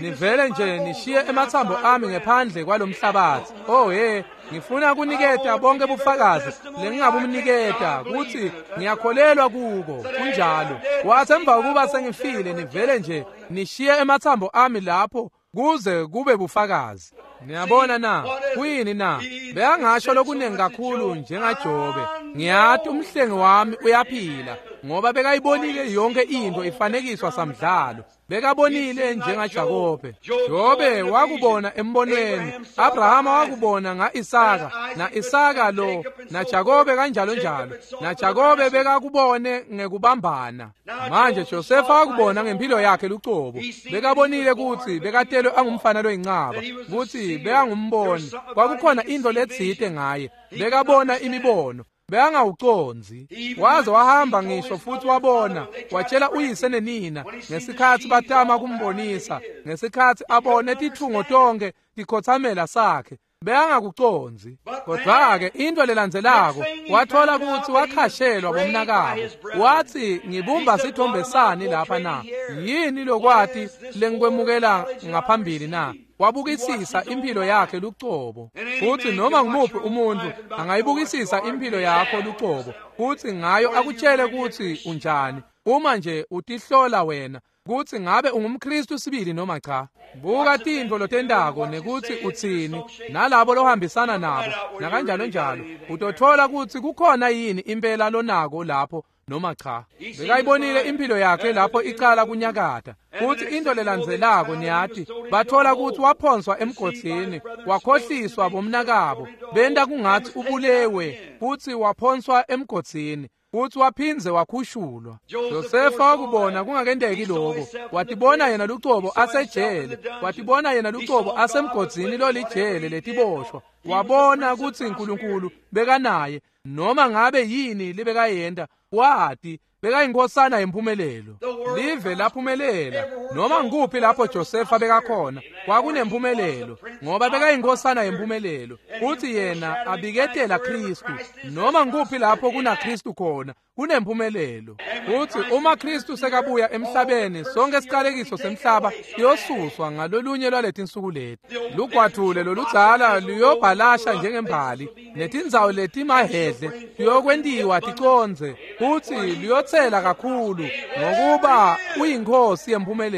nivele nje nishiye emathambo ami ngephandle kwalomhlabathi. Oh he, ngifuna kuniketa bonke bufakazi lengingabumniketa kutsi ngiyakholelwa kuko. Kunjalo. Wathi, emva kokuba sengifile nivele nje nishiye emathambo ami lapho kuze kube bufakazi. Niyabona na? Kuyini na? Beyangasho lokunengi kakhulu njengaJobe. Ngiyati umhlengi wami uyaphila, ngoba bekayibonile yonke into ifanekiswa samdlalo. Bekabonile njengaJakobe. Jobe wakubona embonweni, Abrahama wakubona ngaIsaka, naIsaka lo naJakobe kanjalo njalo. NaJakobe bekakubone ngekubambana. Manje Josefa wakubona ngempilo yakhe lucobo. Bekabonile kutsi bekatelwe angumfana loyincaba, kutsi bekangumboni. Kwakukhona into letsite ngaye. Bekabona imibono. Bekangawucondzi. Waze wahamba ngisho futhi wabona, watshela uyise nenina ngesikhatsi batama kumbonisa, ngesikhatsi abone titfungo tonke tikhotsamela sakhe. Bekangakucondzi. Kodwa-ke into lelandzelako wathola kutsi wakhashelwa bomnakabo. Watsi, ngibumba sithombe sani lapha na? Yini lokwati lengikwemukela ngaphambili na? Wabukisisa impilo yakhe lucobo. Futsi noma ngumuphi umuntu angayibukisisa impilo yakho lucobo, futsi ngayo akutshele kutsi unjani, uma nje utihlola wena kutsi ngabe ungumKristu sibili noma cha. Buka tintfo lotentako nekutsi utsini nalabo lohambisana nabo nakanjalo njalo, utothola kutsi kukhona yini impela lonako lapho noma cha. Bekayibonile impilo yakhe lapho icala kunyakata. Futsi into lelandzelako niyati, bathola kutsi waphonswa emgodzini, wakhohliswa bomnakabo, benta kungatsi ubulewe, futsi waphonswa emgodzini, futsi waphindze wakhushulwa. Josefa wakubona kungakenteki lokho. Watibona yena lucobo asejele, watibona yena lucobo asemgodzini lolijele letiboshwa. Wabona kutsi uNkulunkulu bekanaye, noma ngabe yini lebekayenta, wati bekayinkhosana yemphumelelo. Live laphumelela noma nguphi lapho Josefa bekakhona kwakunemphumelelo, ngoba bekayinkhosana yemphumelelo, futsi yena abiketela Kristu. Noma nguphi lapho kunaKristu khona kunemphumelelo. Futsi uma Kristu sekabuya emhlabeni, sonke isiqalekiso semhlaba siyosuswa ngalolunye lwaletinsuku leti. Lugwadvule loludzala luyobhalasha njengembali, netindzawo letimahhedle tiyokwentiwa ticondze, futsi luyotsela kakhulu, ngokuba uyinkhosi yemphumelelo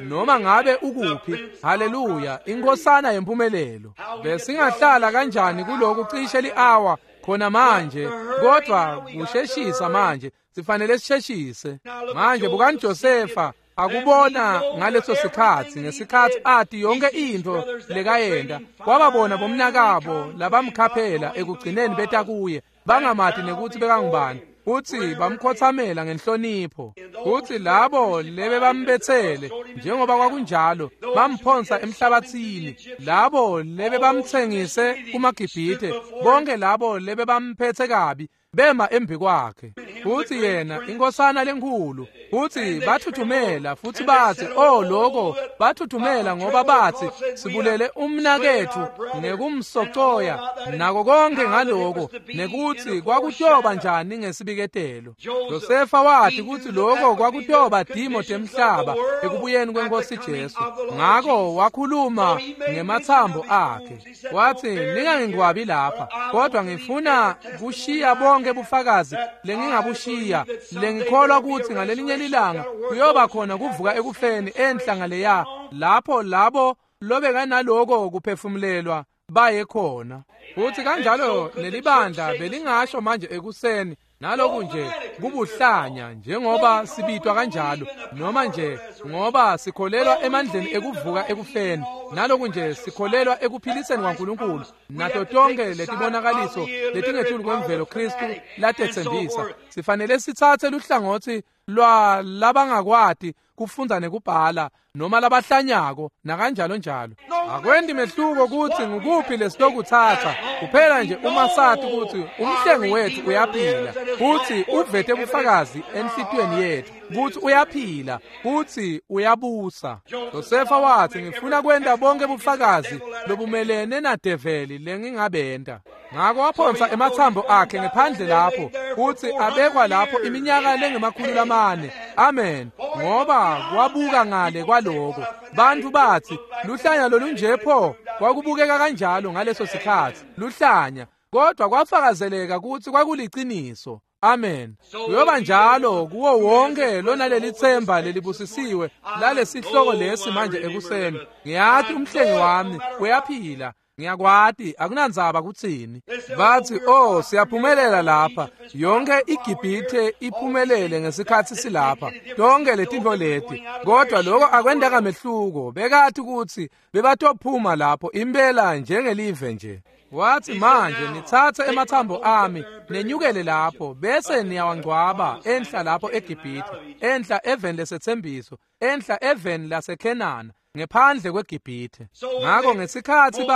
noma ngabe ukuphi. Haleluya, inkhosana yemphumelelo. Besingahlala kanjani kuloku cishe li-awa khona manje, kodwa kusheshisa manje, sifanele sisheshise manje. Bukani Josefa akubona ngaleso sikhatsi, ngesikhatsi ati yonke intfo lekayenta, wababona bomnakabo labamkhaphela ekugcineni beta kuye, bangamati nekutsi bekangubani, futsi bamkhotsamela ngenhlonipho. Futsi labo lebebambetsele njengoba kwakunjalo bamphonsa emhlabatsini, labo lebebamtsengise kumaGibhithe, bonke labo lebebamphetse kabi bema embi kwakhe. Futsi yena inkhosana lenkhulu, futsi bathuthumela, futsi batsi, oh loko, bathuthumela ngoba batsi sibulele umnaketfu ngekumsocoya nako konke ngaloko, nekutsi kwakutoba njani ngesibiketelo. Josefa wathi kutsi loko kwakutoba timo temhlaba ekubuyeni kweNkosi Jesu. Ngako wakhuluma ngematsambo akhe, watsi, ningangingcwabi lapha, kodwa ngifuna kushiya bonke bufakazi lengingabushiya, lengikholwa kutsi ngalelinye lilanga kuyoba khona kuvuka ekufeni enhla ngaleya, lapho labo lobekanaloko kuphefumulelwa baye khona. Futsi kanjalo nelibandla belingasho manje ekuseni, naloku nje kubuhlanya njengoba sibitwa kanjalo, noma nje ngoba sikholelwa emandleni ekuvuka ekufeni, naloku nje sikholelwa ekuphiliseni kwaNkulunkulu nato tonke letibonakaliso letingetulu kwemvelo Kristu latetsembisa. Sifanele sitsatse luhlangotsi lwa labangakwati kufundza nekubhala noma labahlanyako nakanjalo njalo. Akwendi mehluko kutsi ngukuphi lesilokutsatsa, kuphela nje uma sati kutsi umhlengi wethu uyaphila, futsi uvete bufakazi enhlitiyweni yethu kutsi uyaphila, kutsi uyabusa. Josefa wathi, ngifuna kwenta bonke bufakazi lobumelene nadeveli lengingabenta. Ngako waphonsa ematsambo akhe ngephandle lapho, futsi abekwa lapho iminyaka lengema-400. Amen. Ngoba kwabuka ngale kwaloko, bantfu batsi luhlanya lolunje pho, kwakubukeka kanjalo ngaleso sikhatsi, luhlanya, kodwa kwafakazeleka kutsi kwakuliciniso. Amen. Kuyoba njalo kuwo wonke lonaleli themba lelibusisiwe lalesihloko lesi manje ekuseni. Ngiyati umhlengi wami uyaphila, ngiyakwati, akunandzaba kutsini. Batsi, oh, siyaphumelela lapha, yonke iGibhithe iphumelele ngesikhatsi silapha, tonke letintfo leti, kodwa loko akwentanga mehluko. Bekati kutsi bebatophuma lapho impela njengelive nje. Wathi, manje nitsatse ematsambo ami nenyukele lapho, bese niyawangcwaba enhla lapho eGibhithe, enhla eveni lesetsembiso, enhla eveni laseKhenana, ngephandle kweGibhithe. Ngako ngesikhatsi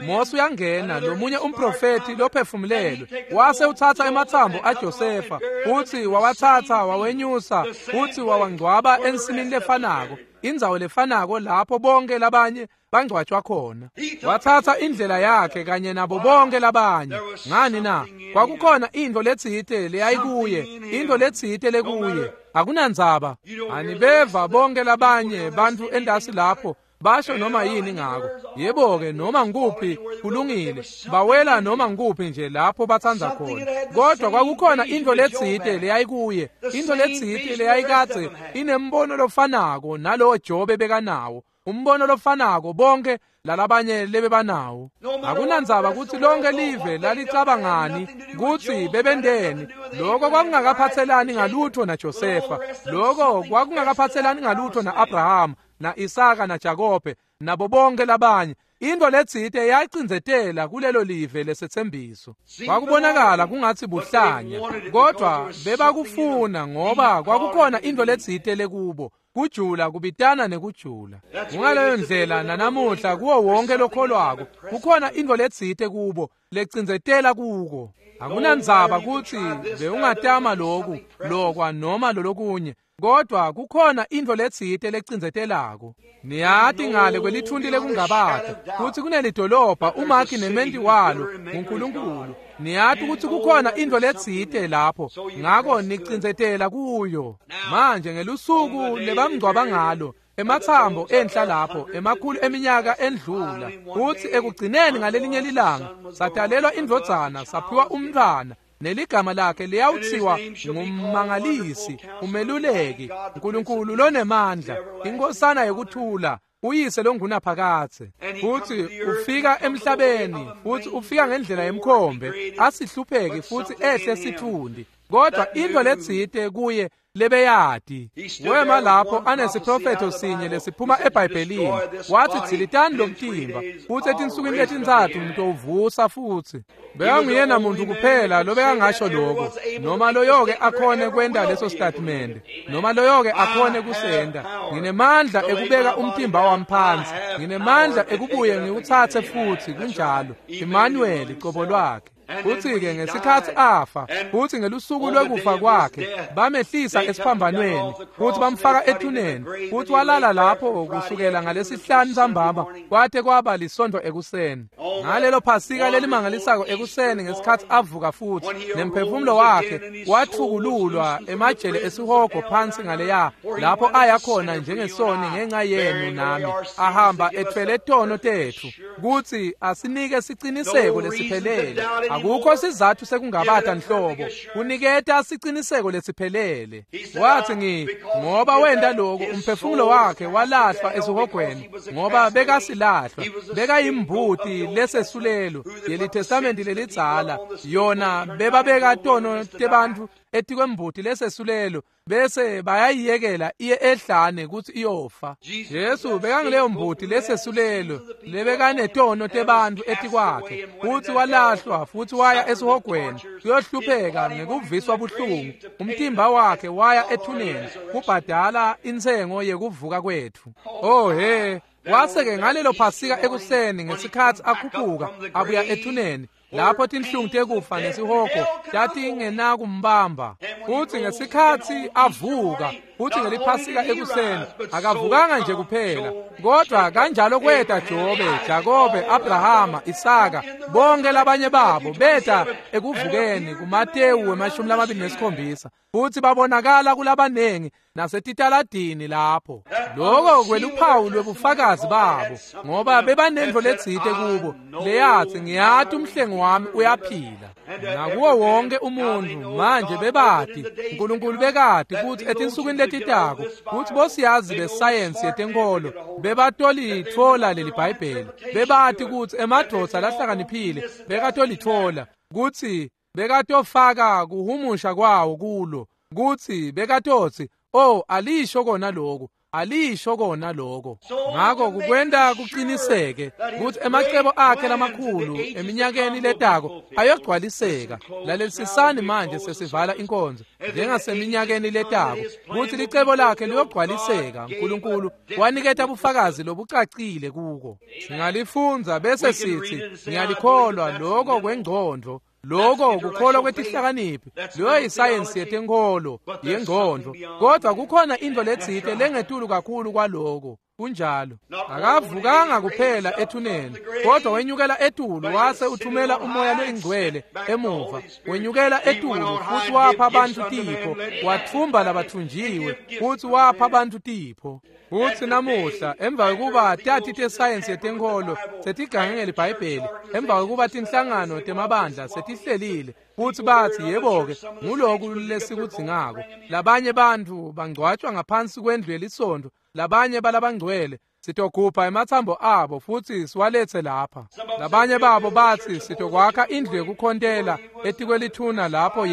Mose uyangena, lomunye umprofethi lophefumulelwe, wase utsatsa ematsambo aJosefa, futsi wawatsatsa wawenyusa, futsi wawangcwaba ensimini lefanako indzawo lefanako lapho bonke labanye bangcwatshwa khona. Wathatha indlela yakhe kanye nabo bonke labanye. Ngani na? Kwakukhona intfo letsite leyayikuye, intfo letsite lekuye. Akunandzaba. Anibeva bonke labanye bantfu entasi lapho basho noma yini ngako. Yebo-ke, noma ngikuphi kulungile, bawela noma ngikuphi nje lapho batsandza khona. Kodwa kwakukhona intfo letsite leyayikuye, intfo letsite leyayikadze inembono lofanako nalowo Jobe bekanawo, umbono lofanako bonke lalabanye lebebanawo. Akunandzaba kutsi lonke live lalicabangani kutsi bebenteni, loko kwakungakaphatselani ngalutho naJosefa, loko kwakungakaphatselani ngalutho na-Abrahama na-Isaka naJakobe nabo bonke labanye. Intfo letsite yayicindzetela kulelo live lesetsembiso. Kwakubonakala kungatsi buhlanya, kodwa bebakufuna ngoba kwakukhona intfo letsite lekubo. Kujula kubitana nekujula. Kungaleyo ndlela nanamuhla kuwo wonke lokholwako kukhona intfo letsite kubo lecindzetela kuko. Akunandzaba kutsi bewungatama loku lokwa noma lolokunye, kodwa kukhona intfo letsite lecindzetelako. Niyati ngale kwelithunti lekungabata kutsi kunelidolobha umakhi nementi walo nguNkulunkulu. Niyati kutsi kukhona intfo letsite lapho, ngako nicindzetela kuyo. Manje ngelusuku lebamngcwaba ngalo, ematsambo enhla lapho emakhulu eminyaka endlula, kutsi ekugcineni ngalelinye lilanga satalelwa indvodzana, saphiwa umntfwana, neligama lakhe liyawuthiwa ngummangalisi, umeluleki, uNkulunkulu lonemandla, inkosana yekuthula, uyise longunaphakadze. Futsi ufika emhlabeni, futsi ufika ngendlela yemkhombe, asihlupheki futsi ehle sitfundi, kodwa intfo letsite kuye lebeyati. Wema lapho anesiprofetho sinye lesiphuma eBhayibhelini, wathi dzilitani lo mtimba, futsi etinsukwini letintsatfu ngitowuvusa futsi. Bekanguyena muntu kuphela lobekangasho lokho, noma loyoke akhone kwenta leso statimende, noma loyoke akhone kusenta. Nginemandla ekubeka umtimba wami phansi, nginemandla ekubuye ngiwutsatse futsi. Kunjalo, Emmanuel cobo lwakhe. Futsi-ke ngesikhatsi afa, futsi ngelusuku lwekufa kwakhe, bamehlisa esiphambanweni, futsi bamfaka ethuneni, futsi walala lapho kusukela ngalesihlanu ntsambama kwate kwaba lisontfo ekuseni. Ngalelo Phasika lelimangalisako ekuseni ngesikhatsi avuka futsi, nemphefumulo wakhe watfukululwa emajele esihogo phansi ngaleya, lapho aya khona njengesoni ngenca yenu nami, ahamba etfwele tono tetfu, kutsi asinike siciniseko lesiphelele. Akukho sizatfu sekungabata nhlobo, kuniketa siciniseko lesiphelele. Wathi ngoba wenta lokho, umphefumulo wakhe walahlwa esihogweni, ngoba bekasilahlwa, bekayimbuti lesesulelo yeliTestamenti lelidzala, yona bebabeka tono tebantfu etikwembuti lesesulelo bese bayayiyekela iye ehlane kutsi iyofa. Jesu bekangileyo mbuti lesesulelo lebekanetono tebantfu etikwakhe, futsi walahlwa futsi waya esihogweni kuyohlupheka ngekuviswa buhlungu. Umtimba wakhe waya ethuneni kubhadala intsengo yekuvuka kwetfu. Oh he, wase-ke ngalelo Phasika ekuseni ngesikhatsi akhuphuka abuya ethuneni, lapho tinhlungu tekufa nesihogo tatingenakumbamba, futsi ngesikhatsi avuka futsi ngeliphasika ekuseni, akavukanga nje kuphela, kodwa kanjalo kweta Jobe, Jakobe, Abrahama, Isaka, bonke labanye babo beta ekuvukeni kuMatewu 27, futsi babonakala kulabanengi nasetitaladini lapho. Loko kweluphawu lwebufakazi babo, ngoba bebanentfo letsite kubo leyatsi ngiyati umhlengi wami uyaphila. Nakuwo wonke umuntfu manje bebati, uNkulunkulu bekati kutsi etinsukwini letitako kutsi bosiyazi besayensi yetenkholo bebatolitfola leli Bhayibheli, bebati kutsi emadvodza lahlakaniphile bekatolitfola, kutsi bekatofaka kuhumusha kwawo kulo, kutsi bekatotsi, oh, alisho kona lokho, alisho kona lokho. Ngako kukwenta kuqiniseke kutsi emacebo akhe lamakhulu eminyakeni letako ayogcwaliseka. Lalelisisani manje sesivala inkonzo, njengaseminyakeni letako kutsi licebo lakhe liyogcwaliseka. uNkulunkulu waniketa bufakazi lobucacile kuko. Singalifundza bese sithi ngiyalikholwa lokho kwengcondvo. Lokho kukholwa kwetihlakaniphi, leyo yisayensi yetenkholo yengqondo, kodwa kukhona into letsite lengetulu kakhulu kwaloko. Kunjalo. Akavukanga kuphela ethuneni, kodwa wenyukela etulu wase uthumela umoya loyingcwele emuva. Wenyukela etulu futhi wapha abantu tipho, wathumba labathunjiwe futhi wapha abantu tipho. Futhi namuhla emva kokuba tati tesayensi yetenkholo setigange ngeliBhayibheli, emva kokuba tinhlangano temabandla setihlelile futhi bathi yebo-ke nguloku lesikudzingako, labanye bantfu bangcwatjwa ngaphansi kwendlu yelisontfo, labanye balabangcwele sitogubha ematsambo abo futhi siwalethe lapha. Labanye babo bathi sitokwakha indlu yekukhontela etikwelithuna lapho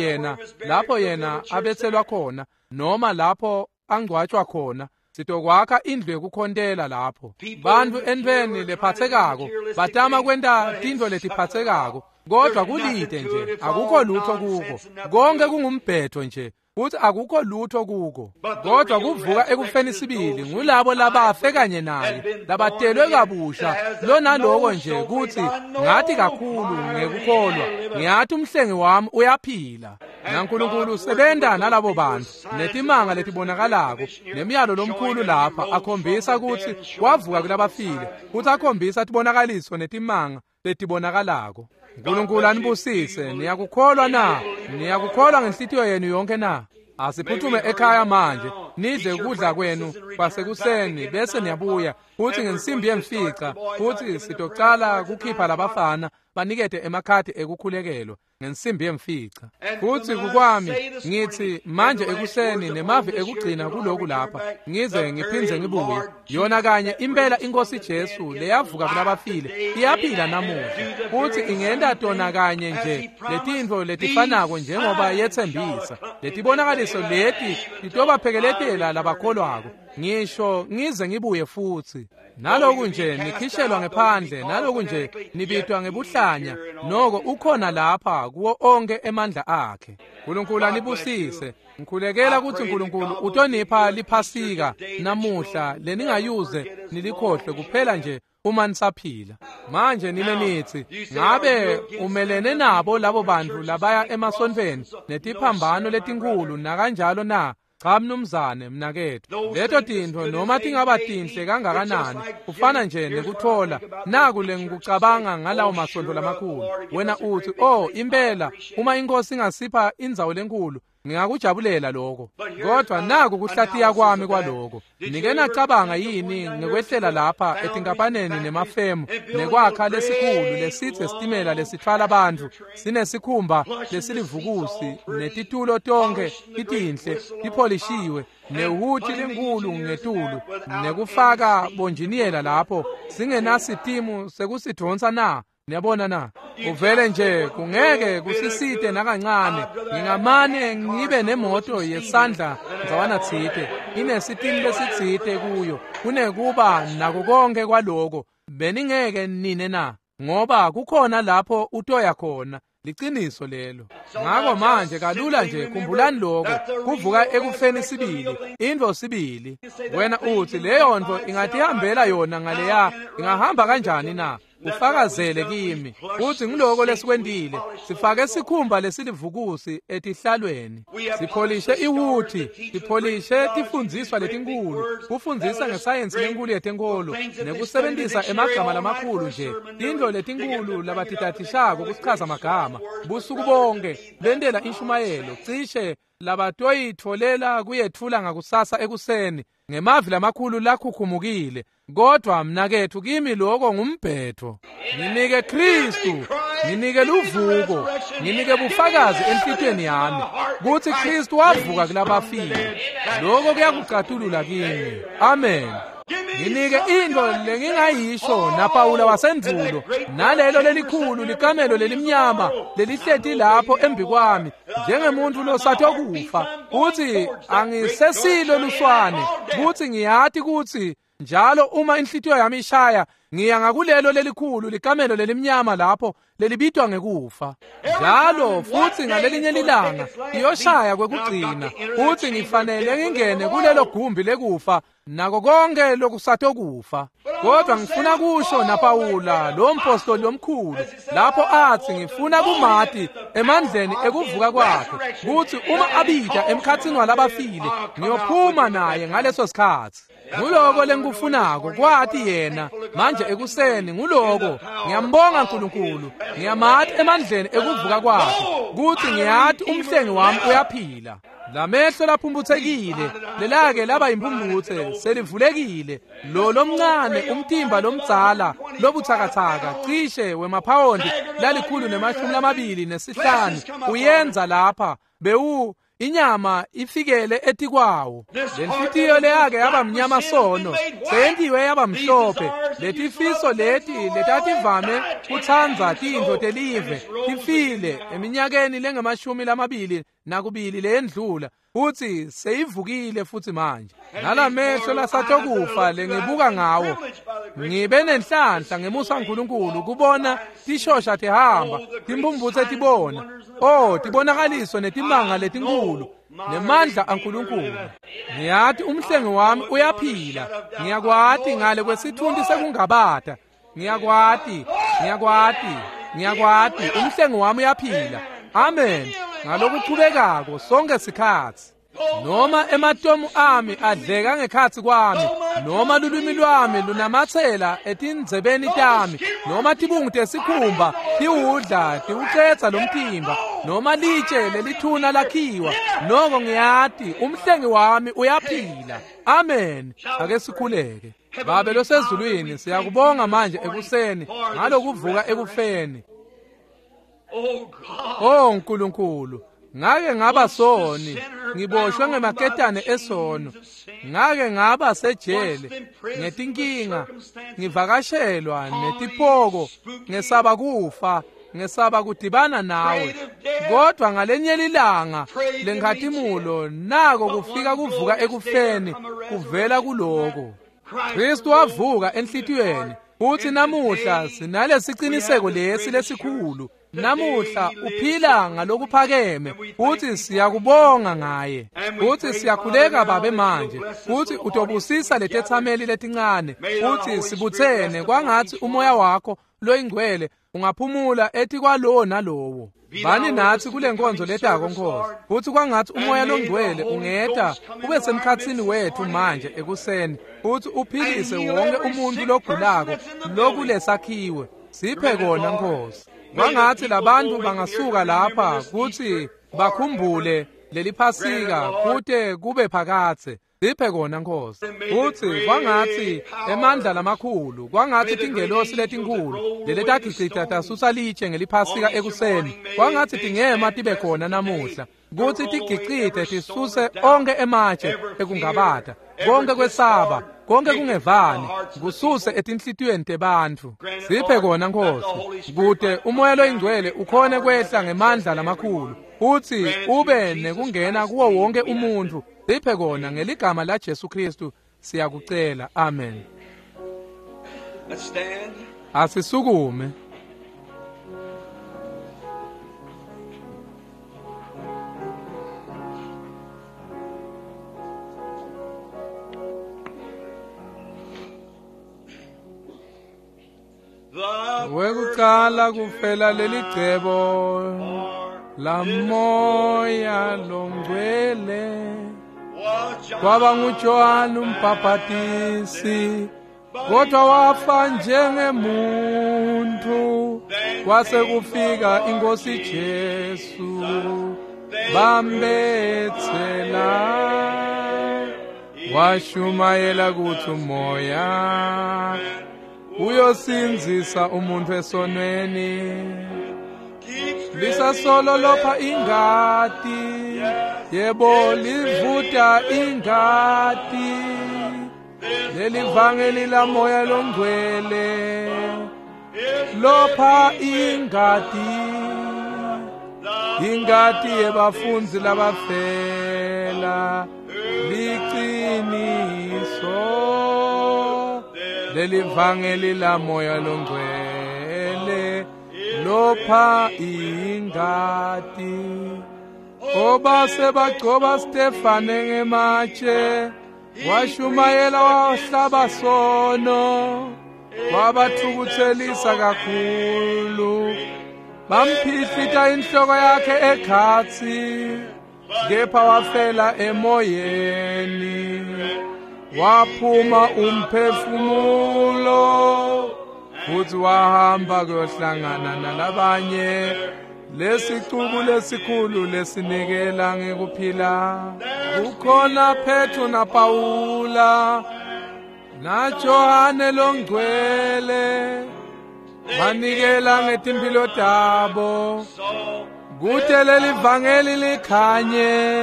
yena abetselwa khona noma lapho angcwatjwa khona. Sitokwakha indlu yekukhontela lapho. Bantfu entweni lephatsekako batama kwenta tintfo letiphatsekako, kodwa kulide nje, akukho lutho kuko. Konke kungumbhetho nje futhi akukho lutho kuko. Kodwa kuvuka ekufeni sibili ngulabo labafe kanye naye, labatelwe kabusha, lonaloko nje kuthi ngathi kakhulu ngekukholwa, ngiyathi umhlengi wami uyaphila. NaNkulunkulu usebenta nalabo bantu netimanga letibonakalako nemiyalo lomkhulu lapha akhombisa ukuthi wavuka kulabafile, futhi akhombisa tibonakaliso netimanga letibonakalako. Nkulunkulu anibusise. Niyakukholwa na? Niyakukholwa ngenhlitiyo yenu yonke na? Asiphuthume ekhaya manje, nidle ukudla kwenu kwasekuseni bese niyabuya futhi ngensimbi yemfica, futhi sitocala kukhipha labafana banikete emakhadi ekukhulekelwa ngensimbi yemfica. Futhi kukwami ngithi manje ekuseni nemavi ekugcina kuloku lapha, ngize ngiphindze ngibuye. Yona kanye impela iNkosi Jesu leyavuka kulabafile iyaphila namuhla, futhi ingenta tona kanye nje letintfo letifanako njengoba yetsembisa. Letibonakaliso leti titobaphekeletela labakholwako, ngisho ngize ngibuye futhi. Naloku nje nikhishelwa ngephandle, naloku nje nibitwa ngebuhlanya, noko ukhona lapha kuwo onke emandla akhe. Nkulunkulu anibusise. Ngikhulekela ukuthi Nkulunkulu utonipha liphasika namuhla leningayuze nilikhohlwe kuphela nje uma nisaphila. Manje nine nithi, ngabe umelene nabo labo bantu labaya emasontfweni netiphambano letinkhulu nakanjalo na? Cha mnumzane mnaketfu, leto tintfo noma tingaba tinhle kangakanani, kufana nje nekuthola naku lengikucabanga ngalawo masontfo lamakhulu. Wena uthi, oh impela uma inkosi ingasipha indzawo lenkulu ngingakujabulela lokho, kodwa naku kuhlatiya kwami kwaloko. Nike nacabanga yini ngekwehlela lapha etinkampaneni nemafemu nekwakha lesikhulu lesithe sitimela lesithwala abantu sinesikhumba lesilivukusi netitulo tonke titinhle tipholishiwe nehuthi lenkulu ngetulu nekufaka bonjiniyela lapho singenasitimu sekusidvonsa na? Niyabona na? Uvele nje kungeke kusisite nakancane. Ngingamane ngibe nemoto yesandla ndzawana tsite inesitimu lesitsite kuyo kunekuba nako konke kwaloko. Beningeke nine na? Ngoba kukhona lapho utoya khona. Liciniso lelo. Ngako manje kalula nje khumbulani lokho, kuvuka ekufeni sibili, intfo sibili. Wena uthi leyo nto ingatihambela yona ngaleya, ingahamba kanjani na? Ufakazele kimi uthi ngiloko lesikwentile. Sifake sikhumba lesilivukusi etihlalweni, sipholishe iwuthi, sipholishe tifundziswa letinkulu, kufundzisa ngesayensi lenkulu yetenkolo nekusebentisa emagama lamakhulu nje, tintfo letinkulu labatitadishako kusichaza magama busuku bonke bentela inshumayelo cishe labatoyitfolela kuyetfula ngakusasa ekuseni ngemavi lamakhulu lakhukhumukile. Kodwa mnaketfu kimi lokho ngumbhetho. Nginike Kristu, nginike luvuko, nginike bufakazi enhlitiyweni yami kutsi Kristu wavuka kulabafile. Lokho kuyakucatulula kimi. Amen. Nginike into lengingayisho naPawula wasendvulo nalelo lelikhulu likamelo lelimnyama lelihleti lapho embi kwami njengemuntu losathokufa, uthi angisesilo luswane, kuthi ngiyati kuthi njalo uma inhlitiyo yami ishaya ngiya ngakulelo lelikhulu likamelo lelimnyama lapho lelibitwa ngekufa. Njalo futhi ngalelinye lilanga iyoshaya kwekugcina, futhi ngifanele ngingene kulelo gumbi lekufa nako konke lokusa Usatokufa. Kodwa ngifuna kusho naPawula lo mpostoli omkhulu lapho athi ngifuna kumati emandleni ekuvuka kwakhe kuthi uma abida emkhathini walabafile ngiyophuma naye ngaleso sikhathi. Nguloko lengikufunako kwathi yena manje ekuseni nguloko ngiyambonga uNkulunkulu ngiyamati emandleni ekuvuka kwakhe kuthi ngiyathi umhlengi wami uyaphila. Lamehlo laphumbuthekile lelake laba impumbuthe selivulekile lo lomncane umtimba lomdzala lobuthakathaka cishe wemaphawondi 125 uyenza lapha bewu inyama ifikele etikwawo. Lenhlitiyo leyake yaba mnyama sono seyentiwe yaba mhlophe. Letifiso leti letativame kutsandza tintfo telive tifile eminyakeni lengamashumi 22 leyendlula futhi seyivukile futhi manje. Nalamehlo lasatokufa lengibuka ngawo ngibe nenhlanhla ngemusa kaNkulunkulu kubona tishosha tihamba timpumbutse tibona oh tibonakaliso netimanga letinkulu nemandla aNkulunkulu. Ngiyathi umhlengi wami uyaphila. Ngiyakwati ngale kwesithunti sekungabata. Ngiyakwati ngiyakwati ngiyakwati umhlengi wami uyaphila. Amen. Ngalokuchubekako sonke sikhathi. Noma ematomu ami adleka ngekhatsi kwami, noma lulwimi lwami lunamatsela etindzebeni tami, noma tibungu tesikhumba tiwudla tiwucetsa lomtimba, noma litshe lelithuna lakhiwa, noko ngiyati umhlengi wami uyaphila. Amen. Ake sikhuleke. Babe losezulwini, siyakubonga manje ekuseni ngalokuvuka ekufeni. Oh Nkulunkulu, ngake ngaba soni, ngiboshwe ngemaketane esono, ngake ngaba sejele ngetinkinga, ngivakashelwa netipoko, ngesaba kufa, ngesaba kudibana nawe. Kodwa ngalenye ilanga lenkhatimulo nako kufika kuvuka ekufeni kuvela kuloko. Kristu wavuka enhlitiyweni futhi namuhla sinalesiciniseko lesi lesikhulu. Namuhla uphila ngalokuphakeme futhi siyakubonga ngaye. Futhi siyakhuleka Babe manje futhi utobusisa letethameli letincane futhi sibuthene kwangathi umoya wakho loyingcwele ungaphumula etikwalowo nalowo. Bani nathi kule nkonzo letako Nkosi, futhi kwangathi umoya longcwele ungeta ube semkhatsini wethu manje ekuseni futhi uphilise wonke umuntu logulako lokulesakhiwe. Siphe kona Nkosi. Kwangathi labantu bangasuka lapha kuthi bakhumbule leli Phasika kute kube phakathe. Siphe kona Nkosi. Futhi kwangathi emandla lamakhulu, kwangathi tingelosi letinkulu leletagicita tasusa litshe ngeliphasika ekuseni, kwangathi tingema tibe khona namuhla kuthi tigicite tisuse onke ematshe ekungabata, konke kwesaba, konke kungevani, kususe etinhlitiyweni tebantfu. Siphe kona Nkosi, kute umoya loyingcwele ukhone kwehla ngemandla lamakhulu futhi ube nekungena kuwo wonke umuntu. Siphe kona ngeligama la Jesu Kristu siyakucela. Amen. Asisukume. Wekucala kufela lelicebo la moya longcwele kwaba nguJohane umbhaphatisi, kodwa wafa njengemuntu. Kwase kufika inkosi Jesu bambethela, washumayela kuthi umoya uyosinzisa umuntu esonweni. Lisasolo lopha ingati, yebo livuta ingati, lelivangeli la moya longcwele lopha ingati, ingati yebafundzi labafela liciniso, lelivangeli la moya longcwele lopha ingati. Obase bagcoba Stefane ngematshe, Washumayela wahlaba sono, wabathukuthelisa kakhulu. Bamphihlita inhloko yakhe ekhatsi, kepha wafela emoyeni. Waphuma umphefumulo, futhi wahamba kuyohlangana nalabanye. Lesicuku lesikhulu lesinikela ngekuphila. Kukhona Petro na Paula na Johane longcwele, banikela ngetimphilo tabo kute leli vangeli likhanye.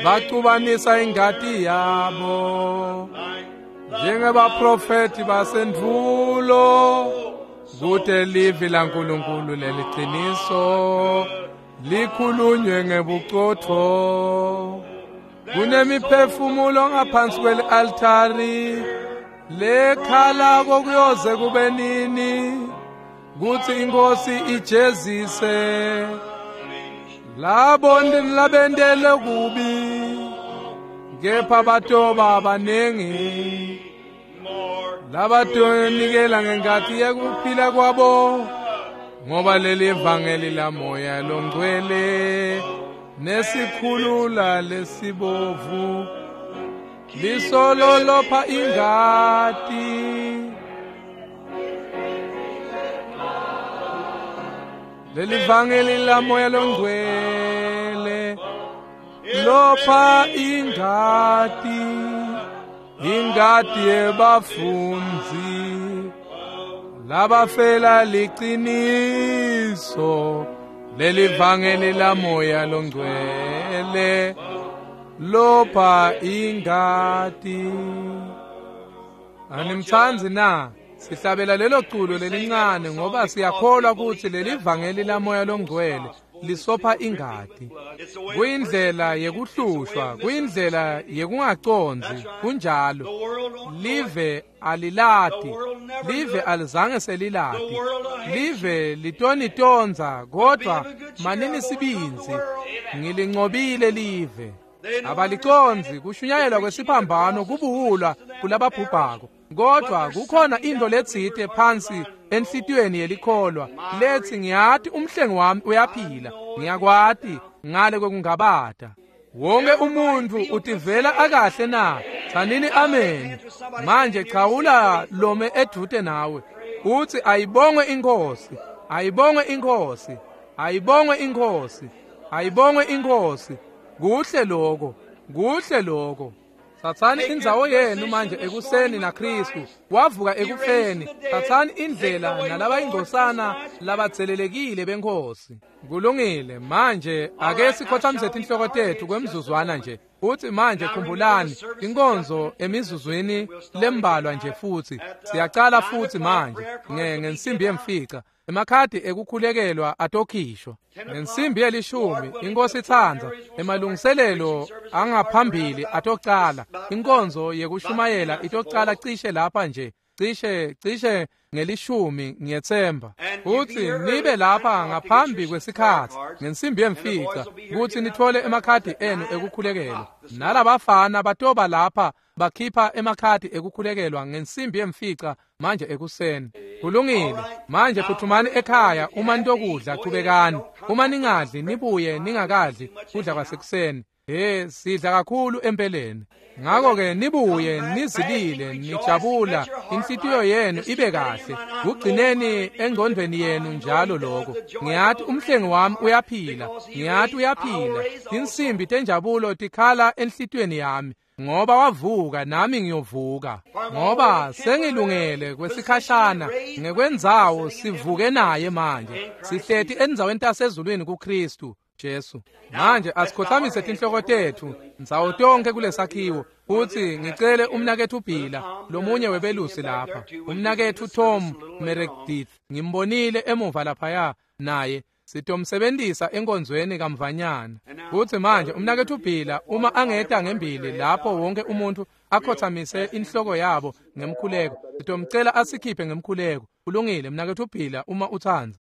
Bacubanisa ingati yabo njengebaprofeti basendvulo, kute livi laNkulunkulu leliqiniso likhulunywe ngebuqotho. Kunemiphefumulo ngaphansi kweli-altari lekhala kokuyoze kube nini, kuthi inkosi ijezise labo labendele kubi, kepha batoba baningi labatonikela ngengati yekuphila kwabo, ngoba leli vangeli lamoya longcwele nesikhulula lesibovu lisololopha ingati. Leli vangeli lamoya longcwele lopha ingati, ingati yebafundzi labafela liqiniso. Leli vangeli lamoya longcwele lopha ingati. Animtsandzi na? Sihlabela lelo culo lelincane ngoba siyakholwa ukuthi leli vangeli lamoya longcwele lisopha ingati. Kuyindlela yekuhlushwa, kuyindlela yekungacondzi, kunjalo. Live alilati, live alizange selilati, live litonitondza, kodwa manini sibindzi, ngilincobile live. Abalicondzi kushunyayelwa kwesiphambano kubuwula kulababhubhako, kodwa kukhona into letsite phansi enhlitiyweni yelikholwa lethi ngiyati umhlengi wami uyaphila, ngiyakwati ngale kwekungabata. Wonke umuntu utivela akahle na? Tsanini amen. Manje chawula lome edvute nawe uthi ayibongwe inkosi, ayibongwe inkosi, ayibongwe inkosi, ayibongwe inkosi. Kuhle lokho, kuhle lokho. Thathani indzawo yenu manje ekuseni naKristu wavuka ekufeni. Thathani indlela nalabayingcosana labatselelekile benkosi. Kulungile. Manje ake sikhothamise tinhloko tethu kwemzuzwana nje. Uthi manje khumbulani inkonzo emizuzwini lembalwa nje, futhi siyacala futhi manje ngensimbi yemfica. Emakhadi ekukhulekelwa atokhishwa ngensimbi yelishumi. Inkosi itsandza, emalungiselelo angaphambili atocala. Inkonzo yekushumayela itocala cishe lapha nje, cishe ngelishumi ngiyetsemba. Futhi nibe lapha ngaphambi kwesikhatsi ngensimbi yemfica kuthi nithole emakhadi enu ekukhulekelwa. Nalabafana batoba lapha bakhipha emakhadi ekukhulekelwa ngensimbi yemfica manje ekuseni. Kulungile. Manje phuthumani ekhaya uma nitokudla, chubekani. Uma ningadli nibuye ningakadli kudla kwasekuseni. Sidla kakhulu empeleni. Ngakho-ke nibuye nizilile nijabula, inhlitiyo yenu ibe kahle. Kugcineni engqondweni yenu njalo lokho. Ngiyati umhlengi wami uyaphila, ngiyati uyaphila. Tinsimbi tenjabulo tikhala enhlitiyweni yami, ngoba wavuka nami ngiyovuka. Ngoba sengilungele kwesikhashana ngekwendzawo sivuke naye manje. Sihleti endzaweni tasezulwini kuKristu Jesu. Manje asikhothamise tinhloko tethu ndzawo tonke kulesakhiwo. Futhi ngicele umnakethu Bhila, lomunye webelusi lapha, umnakethu Tom Meredith, ngimbonile emuva laphaya naye. Sitomsebenzisa enkonzweni kamvanyana. Futhi manje umnakethu Bhila uma angeta ngembili lapho wonke umuntu akhothamise inhloko yabo ngemkhuleko, sitomcela asikhiphe ngemkhuleko. Kulungile mnakethu Bhila uma utsandza.